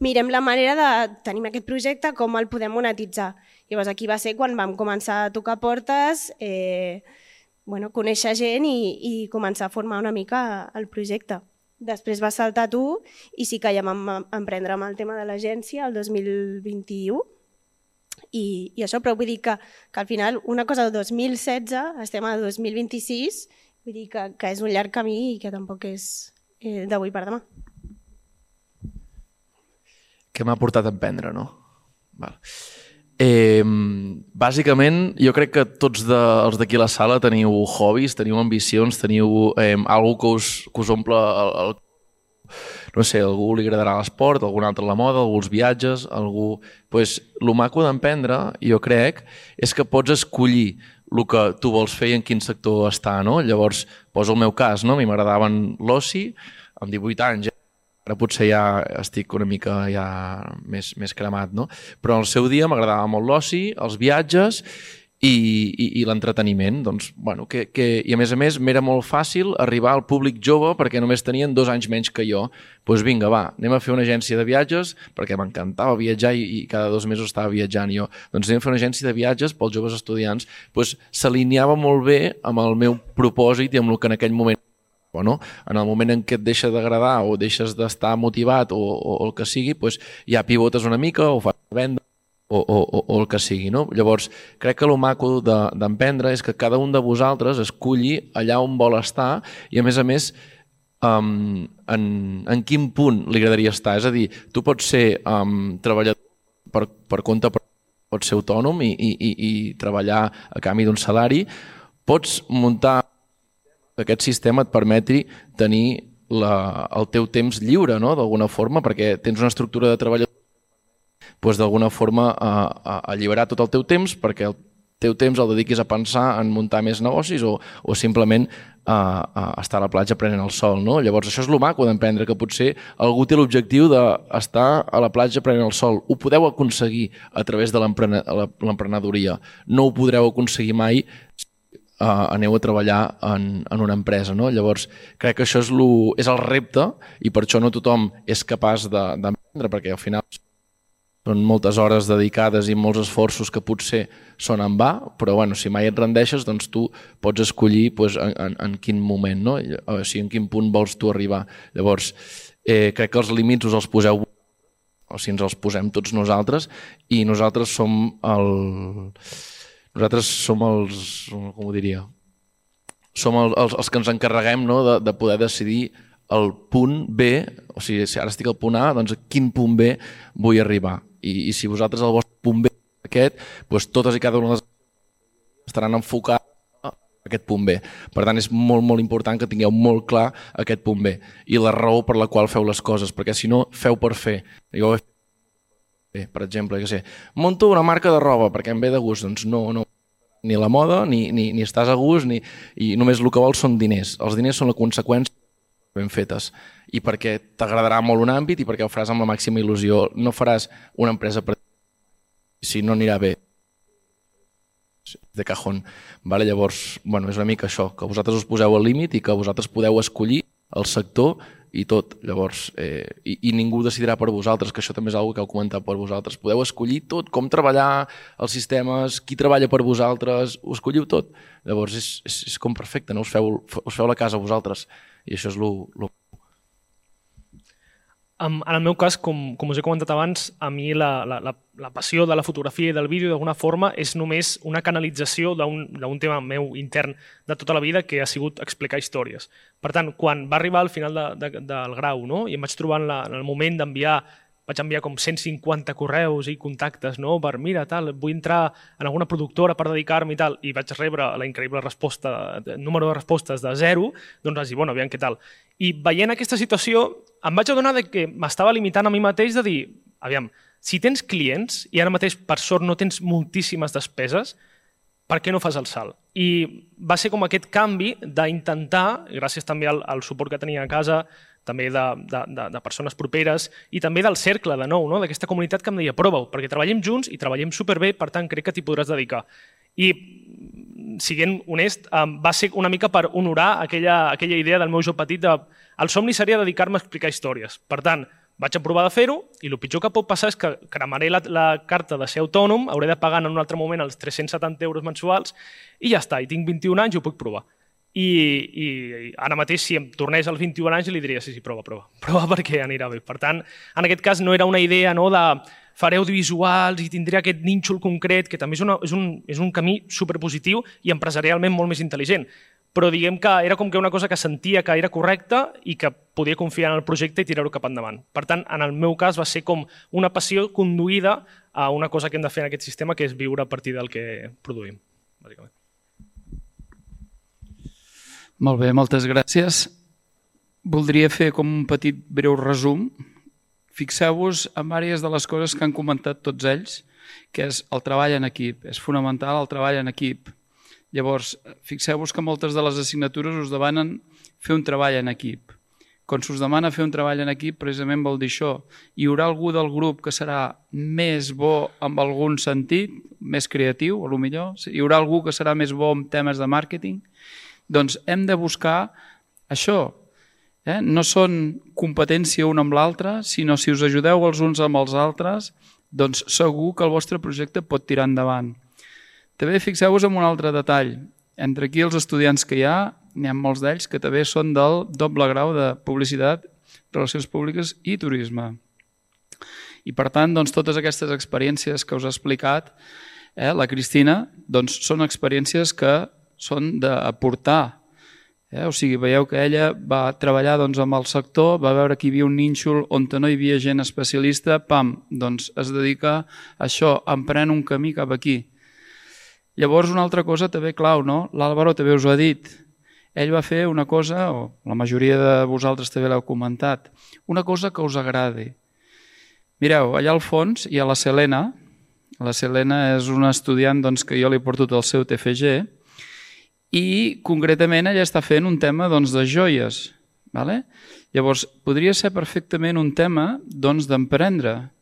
mirem la manera de tenir aquest projecte, com el podem monetitzar. Llavors aquí va ser quan vam començar a tocar portes, conèixer gent i començar a formar una mica el projecte. Després va saltar tu i sí que ja vam emprendre amb el tema de l'agència el 2021 i això, però vull dir que al final una cosa del 2016 estem a 2026, vull dir que és un llarg camí i que tampoc és d'avui per demà. Què m'ha portat a emprendre, no? Val. Bàsicament, jo crec que tots els d'aquí a la sala teniu hobbies, teniu ambicions, teniu algú que us omple no sé, a algú li agradarà l'esport, a algun altre la moda, algú els viatges, algú... El maco d'emprendre, jo crec, és que pots escollir el que tu vols fer i en quin sector està, no? Llavors, poso el meu cas, no? A mi m'agradaven l'oci, amb 18 anys, ara potser ja estic una mica ja més cremat, no? Però al seu dia m'agradava molt l'oci, els viatges i l'entreteniment. Doncs, bueno, i a més m'era molt fàcil arribar al públic jove perquè només tenien 2 anys menys que jo. Doncs vinga, va, anem a fer una agència de viatges perquè m'encantava viatjar i cada 2 mesos estava viatjant jo. Doncs anem a fer una agència de viatges pels joves estudiants. Doncs s'alineava molt bé amb el meu propòsit i amb el que en aquell moment no? En el moment en què et deixa d'agradar o deixes d'estar motivat o el que sigui, doncs ja pivotes una mica o fas venda o el que sigui. No? Llavors, crec que el maco d'emprendre és que cada un de vosaltres esculli allà on vol estar i, a més, en quin punt li agradaria estar. És a dir, tu pots ser treballador per compte, pots ser autònom i treballar a canvi d'un salari, pots muntar aquest sistema et permeti tenir el teu temps lliure, no? D'alguna forma, perquè tens una estructura de treballador, doncs d'alguna forma alliberar tot el teu temps perquè el teu temps el dediquis a pensar en muntar més negocis o simplement estar a la platja prenent el sol. No? Llavors això és el maco d'emprendre, que potser algú té l'objectiu d'estar a la platja prenent el sol. Ho podeu aconseguir a través de l'emprenedoria. No ho podreu aconseguir mai aneu a treballar en una empresa. No? Llavors, crec que això és el repte i per això no tothom és capaç d'emprendre, perquè al final són moltes hores dedicades i molts esforços que potser són en va, però bueno, si mai et rendeixes, doncs tu pots escollir en quin moment, no? O sigui, en quin punt vols tu arribar. Llavors, crec que els límits us els poseu, o sigui, ens els posem tots nosaltres, i nosaltres som els, com ho diria, som els que ens encarreguem, no, de poder decidir el punt B, o sigui, si ara estic al punt A, doncs a quin punt B vull arribar. I si vosaltres el vostre punt B és aquest, doncs totes i cada una de les estaran enfocades a aquest punt B. Per tant, és molt, molt important que tingueu molt clar aquest punt B i la raó per la qual feu les coses, perquè si no, feu per fer. Jo ho he fet, per exemple, monto una marca de roba perquè em ve de gust, doncs no, ni la moda, ni estàs a gust, i només el que vols són diners. Els diners són la conseqüència ben fetes i perquè t'agradarà molt un àmbit i perquè ho faràs amb la màxima il·lusió. No faràs una empresa per si no anirà bé de cajón. Vale? Llavors, bueno, és una mica això, que vosaltres us poseu al límit i que vosaltres podeu escollir el sector i tot. Llavors, i ningú decidirà per vosaltres, que això també és una cosa que heu comentat per vosaltres. Podeu escollir tot, com treballar, els sistemes, qui treballa per vosaltres, ho escolliu tot. Llavors és com perfecte, no? Us feu la casa vosaltres. I això és el... En el meu cas, com us he comentat abans, a mi la passió de la fotografia i del vídeo d'alguna forma és només una canalització d'un tema meu intern de tota la vida, que ha sigut explicar històries. Per tant, quan va arribar al final del grau, no? I em vaig trobar en el moment vaig enviar com 150 correus i contactes, no? Per, mira, tal, vull entrar en alguna productora per dedicar-me i tal, i vaig rebre la increïble resposta, número de respostes de 0, doncs vaig dir, bueno, aviam què tal. I veient aquesta situació, em vaig adonar que m'estava limitant a mi mateix de dir, aviam, si tens clients i ara mateix, per sort, no tens moltíssimes despeses, per què no fas el salt? I va ser com aquest canvi d'intentar, gràcies també al suport que tenia a casa, també de persones properes i també del cercle, de nou, d'aquesta comunitat que em deia prova-ho, perquè treballem junts i treballem superbé, per tant crec que t'hi podràs dedicar. I, siguent honest, va ser una mica per honorar aquella idea del meu jo petit de el somni seria dedicar-me a explicar històries. Per tant, vaig aprovar de fer-ho i el pitjor que pot passar és que cremaré la carta de ser autònom, hauré de pagar en un altre moment els 370 euros mensuals i ja està, i tinc 21 anys i ho puc provar. I ara mateix, si em tornés als 21 anys, li diria, sí, prova perquè anirà bé. Per tant, en aquest cas no era una idea de faré audiovisuals i tindré aquest nínxol concret, que també és un camí superpositiu i empresarialment molt més intel·ligent. Però diguem que era com que una cosa que sentia que era correcta i que podia confiar en el projecte i tirar-ho cap endavant. Per tant, en el meu cas va ser com una passió conduïda a una cosa que hem de fer en aquest sistema, que és viure a partir del que produïm, bàsicament. Molt bé, moltes gràcies. Voldria fer com un petit breu resum. Fixeu-vos en diverses de les coses que han comentat tots ells, que és el treball en equip. És fonamental el treball en equip. Llavors, fixeu-vos que moltes de les assignatures us demanen fer un treball en equip. Quan s'us demana fer un treball en equip, precisament vol dir això. Hi haurà algú del grup que serà més bo en algun sentit, més creatiu, a lo millor. Hi haurà algú que serà més bo en temes de màrqueting. Doncs hem de buscar això. No són competència un amb l'altre, sinó si us ajudeu els uns amb els altres, doncs segur que el vostre projecte pot tirar endavant. També fixeu-vos en un altre detall. Entre aquí els estudiants que hi ha, n'hi ha molts d'ells que també són del doble grau de publicitat, relacions públiques i turisme. I per tant, doncs, totes aquestes experiències que us ha explicat la Cristina, doncs, són experiències que són d'aportar. O sigui, veieu que ella va treballar amb el sector, va veure que hi havia un nínxol on no hi havia gent especialista, doncs es dedica a això, emprèn un camí cap aquí. Llavors, una altra cosa també clau, no? L'Àlvaro també us ho ha dit. Ell va fer una cosa, o la majoria de vosaltres també l'heu comentat, una cosa que us agradi. Mireu, allà al fons hi ha la Selena. La Selena és una estudiant que jo li he portat el seu TFG, i concretament ella està fent un tema de joies. Llavors, podria ser perfectament un tema d'emprendre.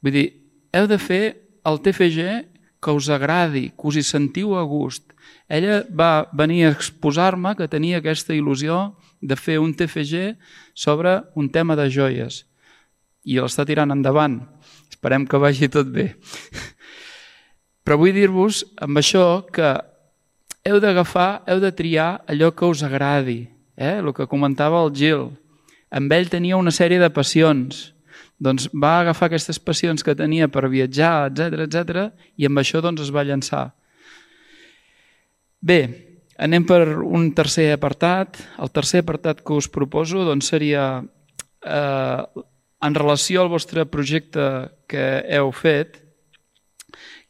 Vull dir, heu de fer el TFG que us agradi, que us hi sentiu a gust. Ella va venir a exposar-me que tenia aquesta il·lusió de fer un TFG sobre un tema de joies. I l'està tirant endavant. Esperem que vagi tot bé. Però vull dir-vos amb això que heu d'agafar, heu de triar allò que us agradi. El que comentava el Gil. Amb ell tenia una sèrie de passions. Doncs va agafar aquestes passions que tenia per viatjar, etc., i amb això es va llançar. Bé, anem per un tercer apartat. El tercer apartat que us proposo seria en relació al vostre projecte que heu fet,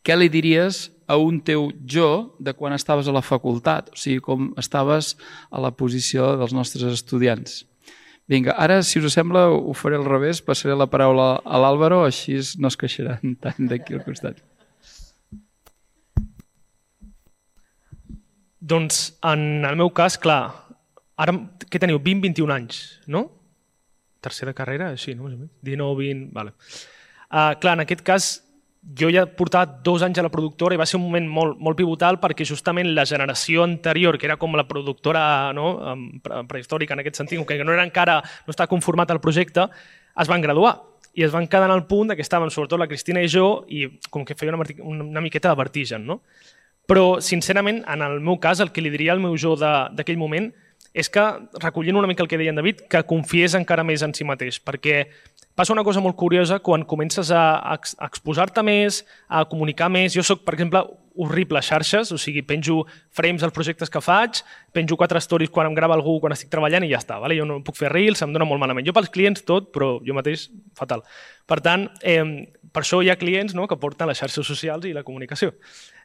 què li diries a un teu jo de quan estaves a la facultat, o sigui, com estaves a la posició dels nostres estudiants. Vinga, ara, si us sembla, ho faré al revés, passaré la paraula a l'Àlvaro, així no es queixaran tant d'aquí al costat. Doncs, en el meu cas, clar, ara, què teniu? 20-21 anys, no? Tercera carrera, així, no? 19-20, vale. Clar, en aquest cas, jo ja portava 2 anys a la productora i va ser un moment molt pivotal perquè justament la generació anterior, que era com la productora prehistòrica en aquest sentit, que no estava conformat el projecte, es van graduar i es van quedar en el punt que estaven sobretot la Cristina i jo i com que feia una miqueta de vertigen. Però, sincerament, en el meu cas, el que li diria al meu jo d'aquell moment és que, recollint una mica el que deia en David, que confiés encara més en si mateix, perquè passa una cosa molt curiosa quan comences a exposar-te més, a comunicar més. Jo soc, per exemple, horrible a xarxes, o sigui, penjo frames als projectes que faig, penjo 4 stories quan em grava algú, quan estic treballant i ja està. Jo no puc fer reels, em dona molt malament. Jo pels clients tot, però jo mateix fatal. Per tant, per això hi ha clients que porten les xarxes socials i la comunicació.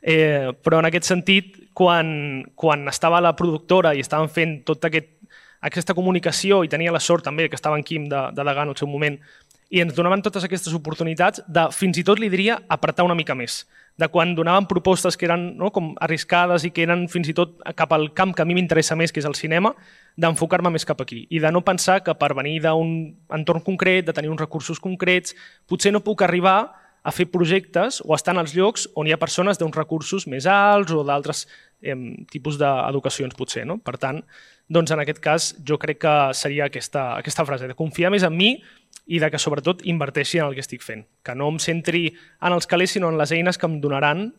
Però en aquest sentit, quan estava a la productora i estàvem fent tota aquesta comunicació i tenia la sort també que estava en Quim de degà en el seu moment i ens donaven totes aquestes oportunitats de, fins i tot li diria, apretar una mica més. De quan donaven propostes que eren com arriscades i que eren fins i tot cap al camp que a mi m'interessa més, que és el cinema, d'enfocar-me més cap aquí i de no pensar que per venir d'un entorn concret, de tenir uns recursos concrets, potser no puc arribar a fer projectes o estar en els llocs on hi ha persones d'uns recursos més alts o d'altres tipus d'educacions potser. No? Per tant, doncs en aquest cas jo crec que seria aquesta frase, de confiar més en mi i de que sobretot inverteixi en el que estic fent. Que no em centri en els calés sinó en les eines que em donaran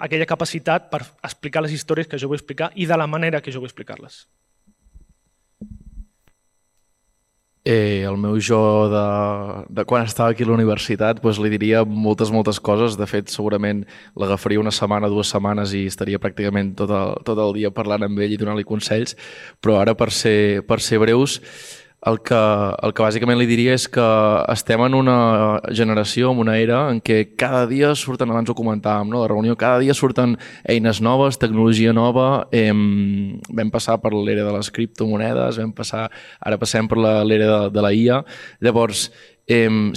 aquella capacitat per explicar les històries que jo vull explicar i de la manera que jo vull explicar-les. El meu jo de quan estava aquí a la universitat li diria moltes coses. De fet, segurament l'agafaria una setmana, 2 setmanes i estaria pràcticament tot el dia parlant amb ell i donant-li consells. Però ara, per ser breus, el que bàsicament li diria és que estem en una generació, en una era en què cada dia surten, abans ho comentàvem, no? La reunió, cada dia surten eines noves, tecnologia nova, vam passar per l'era de les criptomonedes, ara passem per l'era de la IA. Llavors,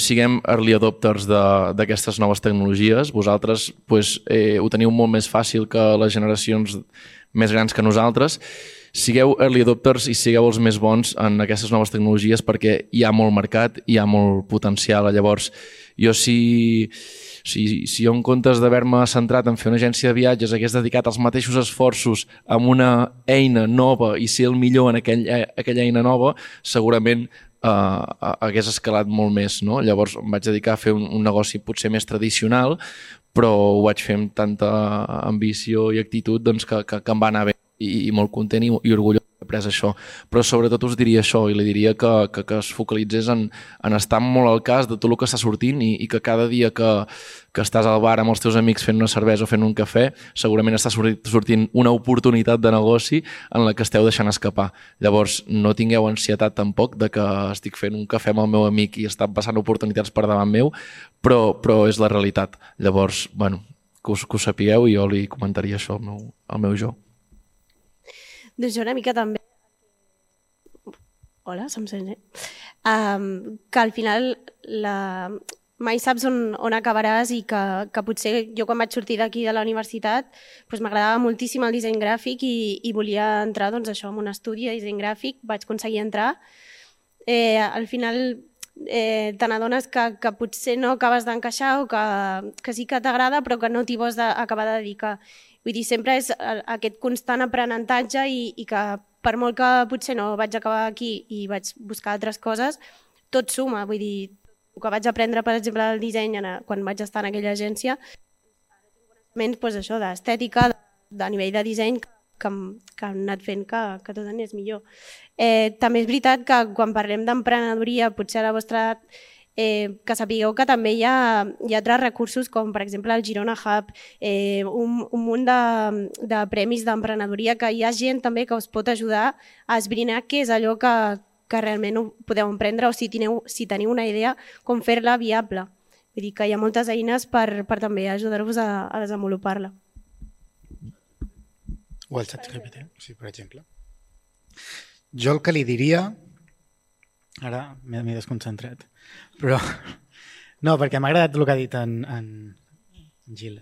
siguem early adopters d'aquestes noves tecnologies. Vosaltres ho teniu molt més fàcil que les generacions més grans que nosaltres. Sigueu early adopters i sigueu els més bons en aquestes noves tecnologies perquè hi ha molt mercat, hi ha molt potencial. Llavors, si jo en comptes d'haver-me centrat en fer una agència de viatges hagués dedicat els mateixos esforços a una eina nova i ser el millor en aquella eina nova, segurament hagués escalat molt més. No? Llavors em vaig dedicar a fer un negoci potser més tradicional, però ho vaig fer amb tanta ambició i actitud que em va anar bé. I molt content i orgullós d'haver après això. Però sobretot us diria això, i li diria que es focalitzés en estar molt al cas de tot el que està sortint i que cada dia que estàs al bar amb els teus amics fent una cervesa o fent un cafè, segurament està sortint una oportunitat de negoci en la que esteu deixant escapar. Llavors, no tingueu ansietat tampoc de que estic fent un cafè amb el meu amic i està passant oportunitats per davant meu, però és la realitat. Llavors, que ho sapigueu i jo li comentaria això al meu jo. Doncs jo una mica també... Hola, se'm sent, que al final mai saps on acabaràs i que potser jo quan vaig sortir d'aquí de la universitat m'agradava moltíssim el disseny gràfic i volia entrar en un estudi de disseny gràfic, vaig aconseguir entrar. Al final te n'adones que potser no acabes d'encaixar o que sí que t'agrada però que no t'hi vols acabar de dedicar. Vull dir, sempre és aquest constant aprenentatge i que per molt que potser no vaig acabar aquí i vaig buscar altres coses, tot suma. Vull dir, el que vaig aprendre, per exemple, del disseny quan vaig estar en aquella agència, coneixements això d'estètica, de nivell de disseny, que han anat fent que tot anés millor. També és veritat que quan parlem d'emprenedoria, potser a la vostra edat, que sapigueu que també hi ha altres recursos com per exemple el Girona Hub, un munt de premis d'emprenedoria que hi ha gent també que us pot ajudar a esbrinar què és allò que realment podeu emprendre o si teniu una idea com fer-la viable. Vull dir que hi ha moltes eines per també ajudar-vos a desenvolupar-la. O el ChatGPT, sí, per exemple. Jo el que li diria... Ara m'he desconcentrat. Però no, perquè m'ha agradat el que ha dit en Gil,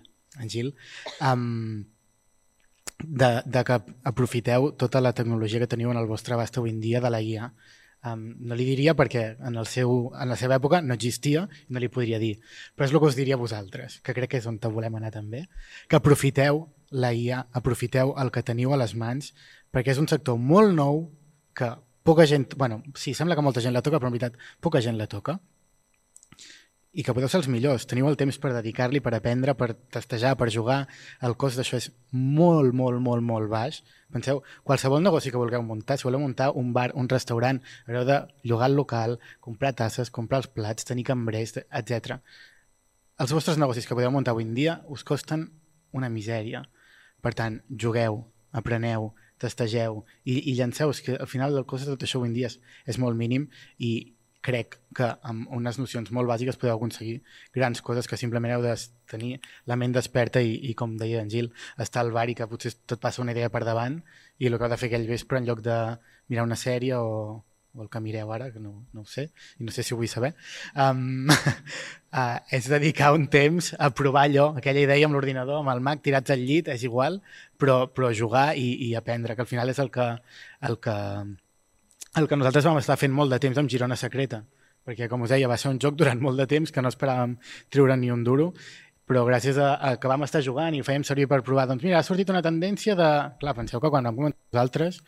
de que aprofiteu tota la tecnologia que teniu en el vostre abast avui en dia de la IA. No li diria perquè en la seva època no existia i no li podria dir, però és el que us diria a vosaltres, que crec que és on volem anar també, que aprofiteu la IA, aprofiteu el que teniu a les mans, perquè és un sector molt nou que poca gent, sí, sembla que molta gent la toca, però en veritat poca gent la toca i que podeu ser els millors. Teniu el temps per dedicar-li, per aprendre, per testejar, per jugar. El cost d'això és molt, molt, molt, molt baix. Penseu, qualsevol negoci que vulgueu muntar, si voleu muntar un bar, un restaurant, haureu de llogar el local, comprar tasses, comprar els plats, tenir cambrers, etc. Els vostres negocis que podeu muntar avui en dia us costen una misèria. Per tant, jugueu, apreneu, testegeu i llanceu, que al final el cost de tot això avui en dia és molt mínim i crec que amb unes nocions molt bàsiques podeu aconseguir grans coses que simplement heu de tenir la ment desperta i com deia en Gil, estar al bar i que potser tot passa una idea per davant i el que heu de fer aquell vespre en lloc de mirar una sèrie o el que mireu ara, que no ho sé, i no sé si ho vull saber, és dedicar un temps a provar allò, aquella idea amb l'ordinador, amb el Mac, tirats al llit, és igual, però jugar i aprendre, que al final és el que nosaltres vam estar fent molt de temps amb Girona Secreta, perquè, com us deia, va ser un joc durant molt de temps que no esperàvem treure ni un duro, però gràcies a que vam estar jugant i ho fèiem servir per provar, doncs mira, ha sortit una tendència de... Clar, penseu que quan vam comentar nosaltres,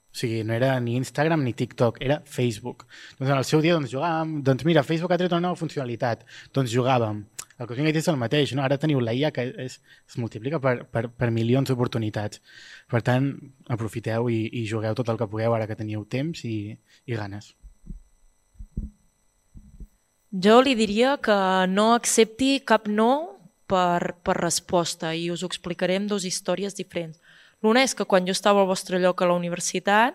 o sigui, no era ni Instagram ni TikTok, era Facebook. Doncs en el seu dia doncs, jugàvem, doncs mira, Facebook ha tret una nova funcionalitat, doncs jugàvem. El que us vinc a dir és el mateix, no? Ara teniu la IA que es multiplica per milions d'oportunitats. Per tant, aprofiteu i jugueu tot el que pugueu ara que teniu temps i ganes. Jo li diria que no accepti cap no per resposta i us ho explicaré amb dues històries diferents. L'una és que quan jo estava al vostre lloc a la universitat,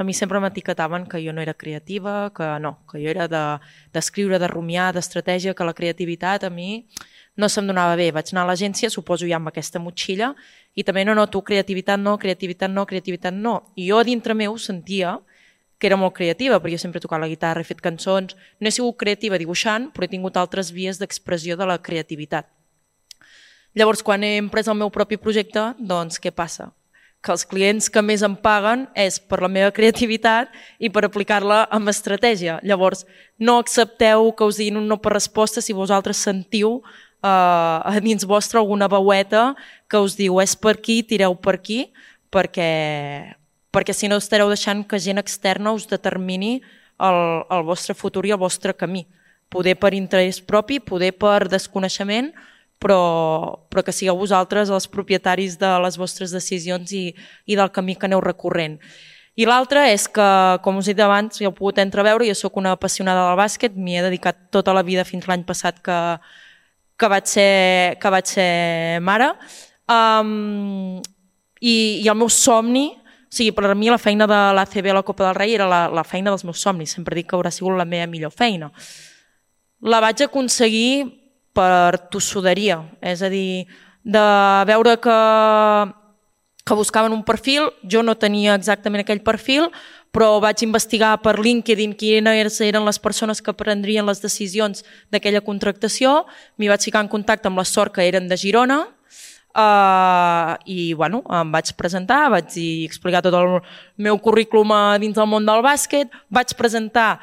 a mi sempre m'etiquetaven que jo no era creativa, que jo era d'escriure, de rumiar, d'estratègia, que la creativitat a mi no se'm donava bé. Vaig anar a l'agència, suposo ja amb aquesta motxilla, i també no, tu creativitat no, creativitat no, creativitat no. I jo a dintre meu sentia que era molt creativa, perquè jo sempre he tocat la guitarra, he fet cançons, no he sigut creativa dibuixant, però he tingut altres vies d'expressió de la creativitat. Llavors, quan he emprès el meu propi projecte, doncs què passa? Que els clients que més em paguen és per la meva creativitat i per aplicar-la amb estratègia. Llavors, no accepteu que us diguin un no per resposta si vosaltres sentiu a dins vostre alguna veueta que us diu és per aquí, tireu per aquí, perquè si no estareu deixant que gent externa us determini el vostre futur i el vostre camí. Poder per interès propi, poder per desconeixement, però que sigueu vosaltres els propietaris de les vostres decisions i del camí que aneu recorrent. I l'altre és que, com us he dit abans, ja heu pogut entreveure, jo sóc una apassionada del bàsquet, m'hi he dedicat tota la vida fins l'any passat que vaig ser mare. I el meu somni, o sigui, per a mi la feina de l'ACB a la Copa del Rei era la feina dels meus somnis, sempre dic que haurà sigut la meva millor feina. La vaig aconseguir per tossuderia, és a dir, de veure que buscaven un perfil, jo no tenia exactament aquell perfil, però vaig investigar per LinkedIn quines eren les persones que prendrien les decisions d'aquella contractació, m'hi vaig ficar en contacte amb la sort que eren de Girona, i em vaig presentar, vaig explicar tot el meu currículum dins del món del bàsquet, vaig presentar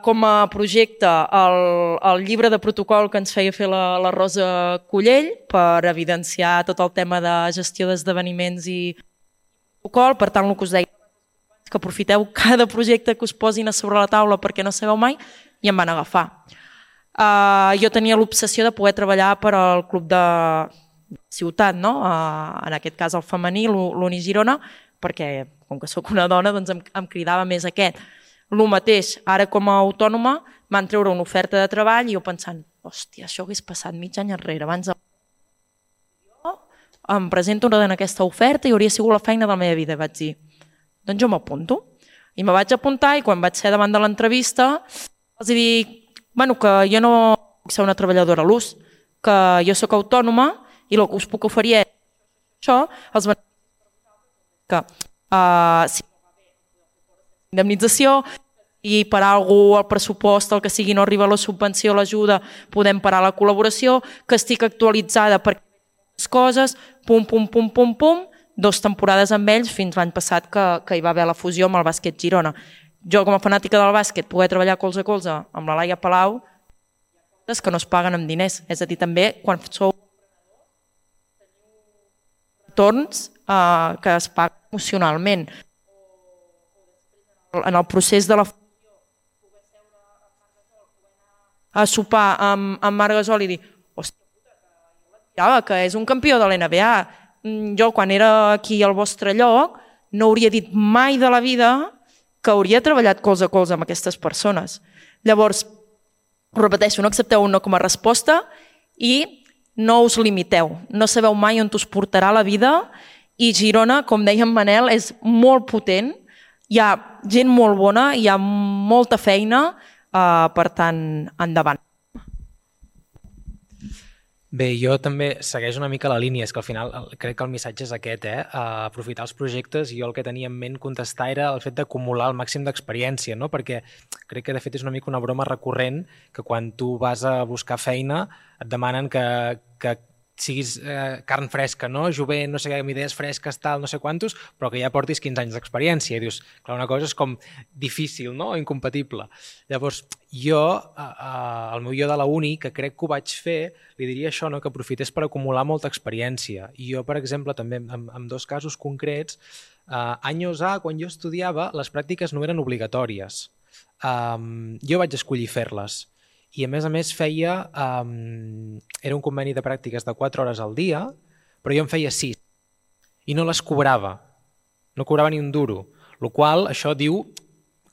com a projecte el llibre de protocol que ens feia fer la Rosa Collell per evidenciar tot el tema de gestió d'esdeveniments i protocol. Per tant, el que us deia, que aprofiteu cada projecte que us posin a sobre la taula perquè no sabeu mai, i em van agafar. Jo tenia l'obsessió de poder treballar per al club de ciutat, no? En aquest cas el femení, l'Uni Girona, perquè com que sóc una dona doncs em cridava més aquest. El mateix, ara com a autònoma van treure una oferta de treball i jo pensant, hòstia, això hagués passat mig any enrere. Abans jo em presento en aquesta oferta i hauria sigut la feina de la meva vida. Vaig dir, doncs jo m'apunto. I me vaig apuntar i quan vaig ser davant de l'entrevista els dic, que jo no puc ser una treballadora a l'ús, que jo sóc autònoma i el que us puc oferir és això, els beneficis que si indemnització i per algú el pressupost, el que sigui, no arriba la subvenció, l'ajuda, podem parar la col·laboració, que estic actualitzada per les coses, pum, 2 temporades amb ells fins l'any passat que hi va haver la fusió amb el bàsquet Girona. Jo, com a fanàtica del bàsquet, poder treballar colze a colze amb la Laia Palau, que no es paguen amb diners. És a dir, també, quan sou retorns que es paguen emocionalment. En el procés de la fusió, poder seure a sopar amb Marc Gasol i dir, hòstia puta, que és un campió de l'NBA. Jo, quan era aquí al vostre lloc, no hauria dit mai de la vida que hauria treballat colze a colze amb aquestes persones. Llavors, ho repeteixo, no accepteu un no com a resposta i no us limiteu. No sabeu mai on us portarà la vida i Girona, com deia en Manel, és molt potent. Hi ha gent molt bona, hi ha molta feina, per tant, endavant. Bé, jo també segueixo una mica la línia, és que al final crec que el missatge és aquest, aprofitar els projectes, i jo el que tenia en ment contestar era el fet d'acumular el màxim d'experiència, no? Perquè crec que de fet és una mica una broma recurrent que quan tu vas a buscar feina et demanen que siguis carn fresca, no? Jovent, no sé què, amb idees fresques, tal, no sé quantos, però que ja portis 15 anys d'experiència. I dius, clar, una cosa és com difícil, no? O incompatible. Llavors, jo, el meu jo de la uni, que crec que ho vaig fer, li diria això, no? Que aprofités per acumular molta experiència. I jo, per exemple, també en 2 casos concrets, anys A, quan jo estudiava, les pràctiques no eren obligatòries. Jo vaig escollir fer-les. I a més feia, era un conveni de pràctiques de 4 hores al dia, però jo en feia 6 i no les cobrava, no cobrava ni un duro, el qual això diu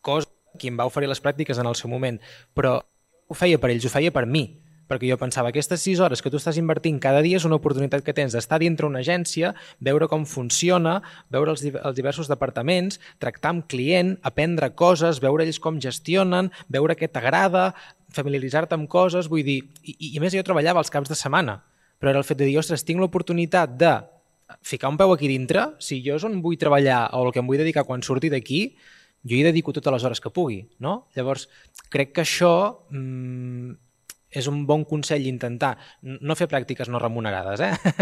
cosa qui em va oferir les pràctiques en el seu moment, però ho feia per ells, ho feia per mi, perquè jo pensava aquestes 6 hores que tu estàs invertint cada dia és una oportunitat que tens d'estar dintre una agència, veure com funciona, veure els diversos departaments, tractar amb client, aprendre coses, veure ells com gestionen, veure què t'agrada, familiaritzar-te amb coses, vull dir, i a més jo treballava els caps de setmana, però era el fet de dir, ostres, tinc l'oportunitat de ficar un peu aquí dintre, si jo és on vull treballar o el que em vull dedicar quan surti d'aquí, jo hi dedico totes les hores que pugui, no? Llavors, crec que això és un bon consell intentar no fer pràctiques no remunerades,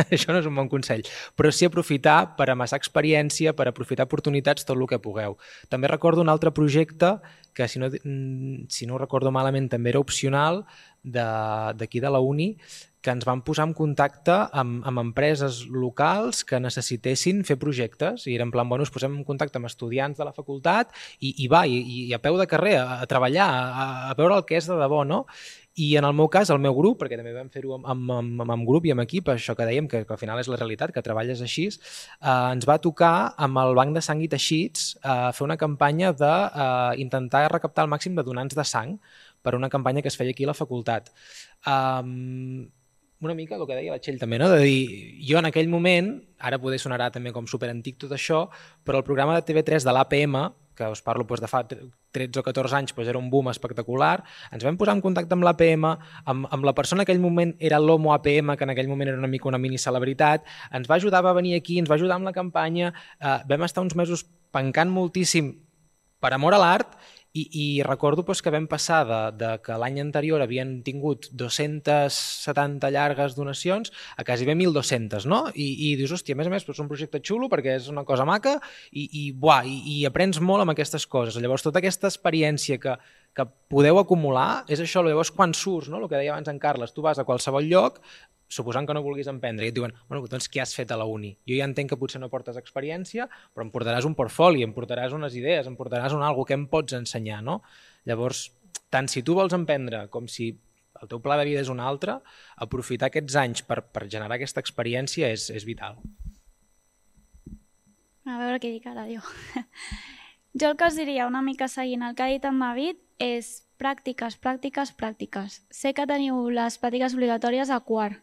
això no és un bon consell, però sí aprofitar per amassar experiència, per aprofitar oportunitats, tot el que pugueu. També recordo un altre projecte que, si no ho recordo malament, també era opcional, d'aquí de la uni, que ens van posar en contacte amb empreses locals que necessitessin fer projectes i era en plan, bueno, ens posem en contacte amb estudiants de la facultat i a peu de carrer, a treballar, a veure el que és de debò, no? I en el meu cas, el meu grup, perquè també vam fer-ho amb grup i amb equip, això que dèiem, que al final és la realitat, que treballes així, ens va tocar amb el Banc de Sang i Teixits fer una campanya d'intentar recaptar el màxim de donants de sang per una campanya que es feia aquí a la facultat. Una mica el que deia la Txell també, no? De dir, jo en aquell moment, ara poder sonarà també com superantic tot això, però el programa de TV3 de l'APM, que us parlo de fa 13 o 14 anys, era un boom espectacular, ens vam posar en contacte amb l'APM, amb la persona que en aquell moment era l'Homo APM, que en aquell moment era una mica una mini-celebritat, ens va ajudar, va venir aquí, ens va ajudar amb la campanya, vam estar uns mesos pencant moltíssim per amor a l'art i recordo que vam passar de que l'any anterior havien tingut 270 llargues donacions a quasi bé 1.200, no? I dius, hòstia, a més, és un projecte xulo perquè és una cosa maca i aprens molt amb aquestes coses. Llavors, tota aquesta experiència que podeu acumular és això, llavors quan surts, no? El que deia abans en Carles, tu vas a qualsevol lloc, suposant que no vulguis emprendre, i et diuen, bueno, doncs què has fet a la uni? Jo ja entenc que potser no portes experiència, però em portaràs un portfoli, em portaràs unes idees, em portaràs alguna que em pots ensenyar, no? Llavors, tant si tu vols emprendre com si el teu pla de vida és un altre, aprofitar aquests anys per generar aquesta experiència és vital. A veure què dic ara, jo. Jo el que us diria, una mica seguint el que ha dit en David, és pràctiques. Sé que teniu les pràctiques obligatòries a quart,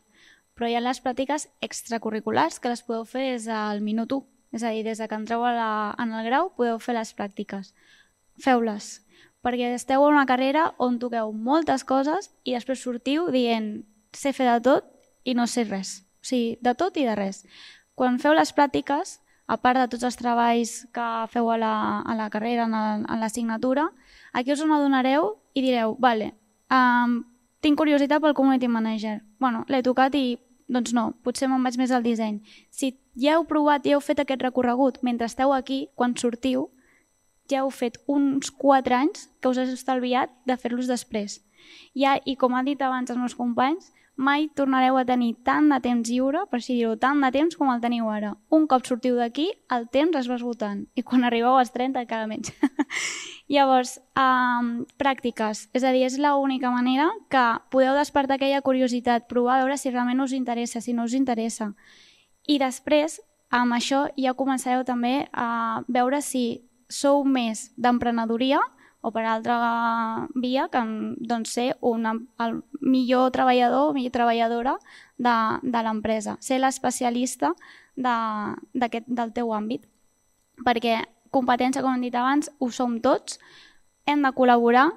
però hi ha les pràctiques extracurriculars que les podeu fer des del minut 1. És a dir, des que entreu en el grau podeu fer les pràctiques. Feu-les, perquè esteu en una carrera on toqueu moltes coses i després sortiu dient sé fer de tot i no sé res. O sigui, de tot i de res. Quan feu les pràctiques, a part de tots els treballs que feu a la carrera, en l'assignatura, aquí us n'adonareu i direu, vale, tinc curiositat pel community manager. Bueno, l'he tocat i, doncs no, potser me'n vaig més al disseny. Si ja heu provat, ja heu fet aquest recorregut, mentre esteu aquí, quan sortiu, ja heu fet uns 4 anys que us has estalviat de fer-los després. I com han dit abans els meus companys, mai tornareu a tenir tant de temps lliure, per així dir-ho, tant de temps com el teniu ara. Un cop sortiu d'aquí, el temps es va esgotant i quan arribeu als 30 encara menys. Llavors, pràctiques, és a dir, és l'única manera que podeu despertar aquella curiositat, provar a veure si realment us interessa, si no us interessa. I després, amb això ja començareu també a veure si sou més d'emprenedoria o per altra via, que doncs, ser el millor treballador o millor treballadora de l'empresa, ser l'especialista del teu àmbit. Perquè competència, com hem dit abans, ho som tots, hem de col·laborar,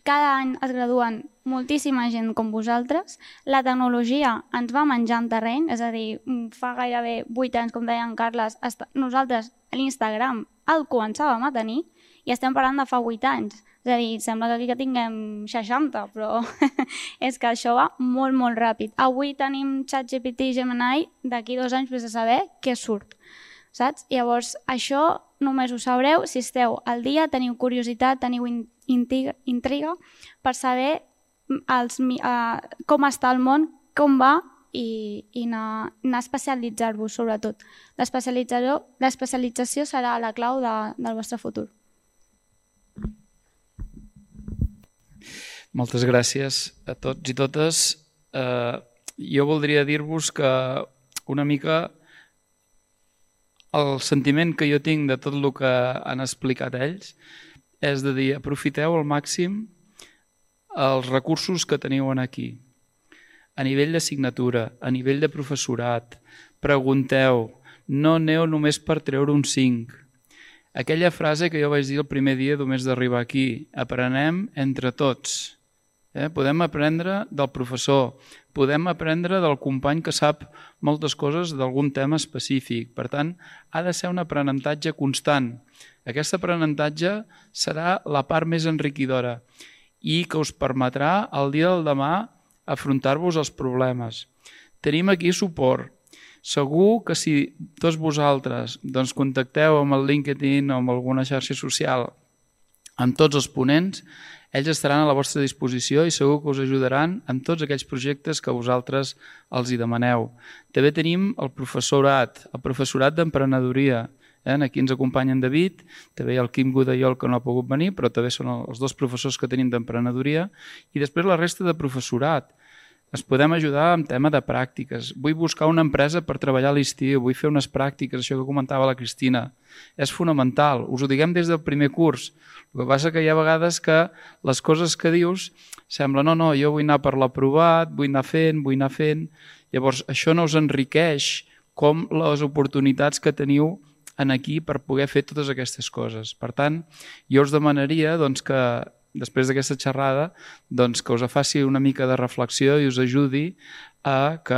cada any es graduen moltíssima gent com vosaltres, la tecnologia ens va menjant terreny, és a dir, fa gairebé 8 anys, com deia en Carles, nosaltres l'Instagram el començàvem a tenir i estem parlant de fa 8 anys. És a dir, sembla que aquí que tinguem 60, però és que això va molt, molt ràpid. Avui tenim ChatGPT i Gemini, d'aquí 2 anys vés a saber què surt, saps? Llavors, això només ho sabreu si esteu al dia, teniu curiositat, teniu intriga per saber com està el món, com va i anar a especialitzar-vos, sobretot. L'especialització serà la clau del vostre futur. Moltes gràcies a tots i totes. Jo voldria dir-vos que una mica el sentiment que jo tinc de tot el que han explicat ells és de dir, aprofiteu al màxim els recursos que teniu aquí. A nivell d'assignatura, a nivell de professorat, pregunteu, no aneu només per treure un 5. Aquella frase que jo vaig dir el primer dia només d'arribar aquí, aprenem entre tots. Podem aprendre del professor, podem aprendre del company que sap moltes coses d'algun tema específic. Per tant, ha de ser un aprenentatge constant. Aquest aprenentatge serà la part més enriquidora i que us permetrà el dia del demà afrontar-vos els problemes. Tenim aquí suport. Segur que si tots vosaltres contacteu amb el LinkedIn o amb alguna xarxa social amb tots els ponents, ells estaran a la vostra disposició i segur que us ajudaran en tots aquells projectes que vosaltres els hi demaneu. També tenim el professorat d'emprenedoria. Aquí ens acompanya en David, també hi ha el Quim Godallol que no ha pogut venir, però també són els 2 professors que tenim d'emprenedoria, i després la resta de professorat. Es podem ajudar en tema de pràctiques. Vull buscar una empresa per treballar a l'estiu, vull fer unes pràctiques, això que comentava la Cristina. És fonamental, us ho diguem des del primer curs. El que passa que hi ha vegades que les coses que dius sembla, no, jo vull anar per l'aprovat, vull anar fent. Llavors, això no us enriqueix com les oportunitats que teniu aquí per poder fer totes aquestes coses. Per tant, jo us demanaria que després d'aquesta xerrada, que us faci una mica de reflexió i us ajudi a que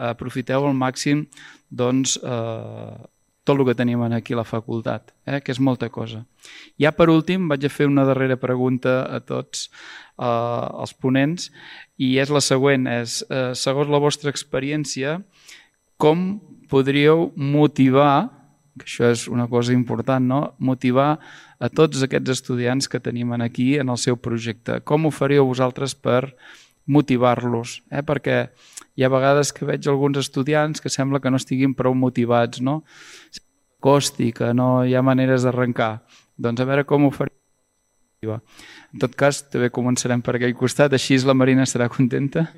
aprofiteu al màxim tot el que tenim aquí a la facultat, que és molta cosa. Ja per últim vaig a fer una darrera pregunta a tots els ponents i és la següent, segons la vostra experiència, com podríeu motivar, que això és una cosa important, motivar a tots aquests estudiants que tenim aquí en el seu projecte. Com ho faríeu vosaltres per motivar-los? Perquè hi ha vegades que veig alguns estudiants que sembla que no estiguin prou motivats, no? Costi, que no hi ha maneres d'arrencar. Doncs a veure com ho faríeu. En tot cas, també començarem per aquell costat, així la Marina estarà contenta.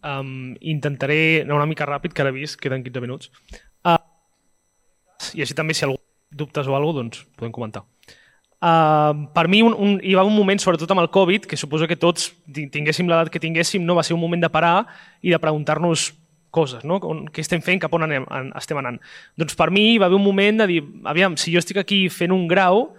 Intentaré anar una mica ràpid, que ara he vist, queden 15 minuts. I així també, si algú dubtes o alguna cosa, podem comentar. Per mi hi va un moment, sobretot amb el Covid, que suposo que tots tinguéssim l'edat que tinguéssim, va ser un moment de parar i de preguntar-nos coses, què estem fent, cap on estem anant. Doncs per mi hi va haver un moment de dir, aviam, si jo estic aquí fent un grau,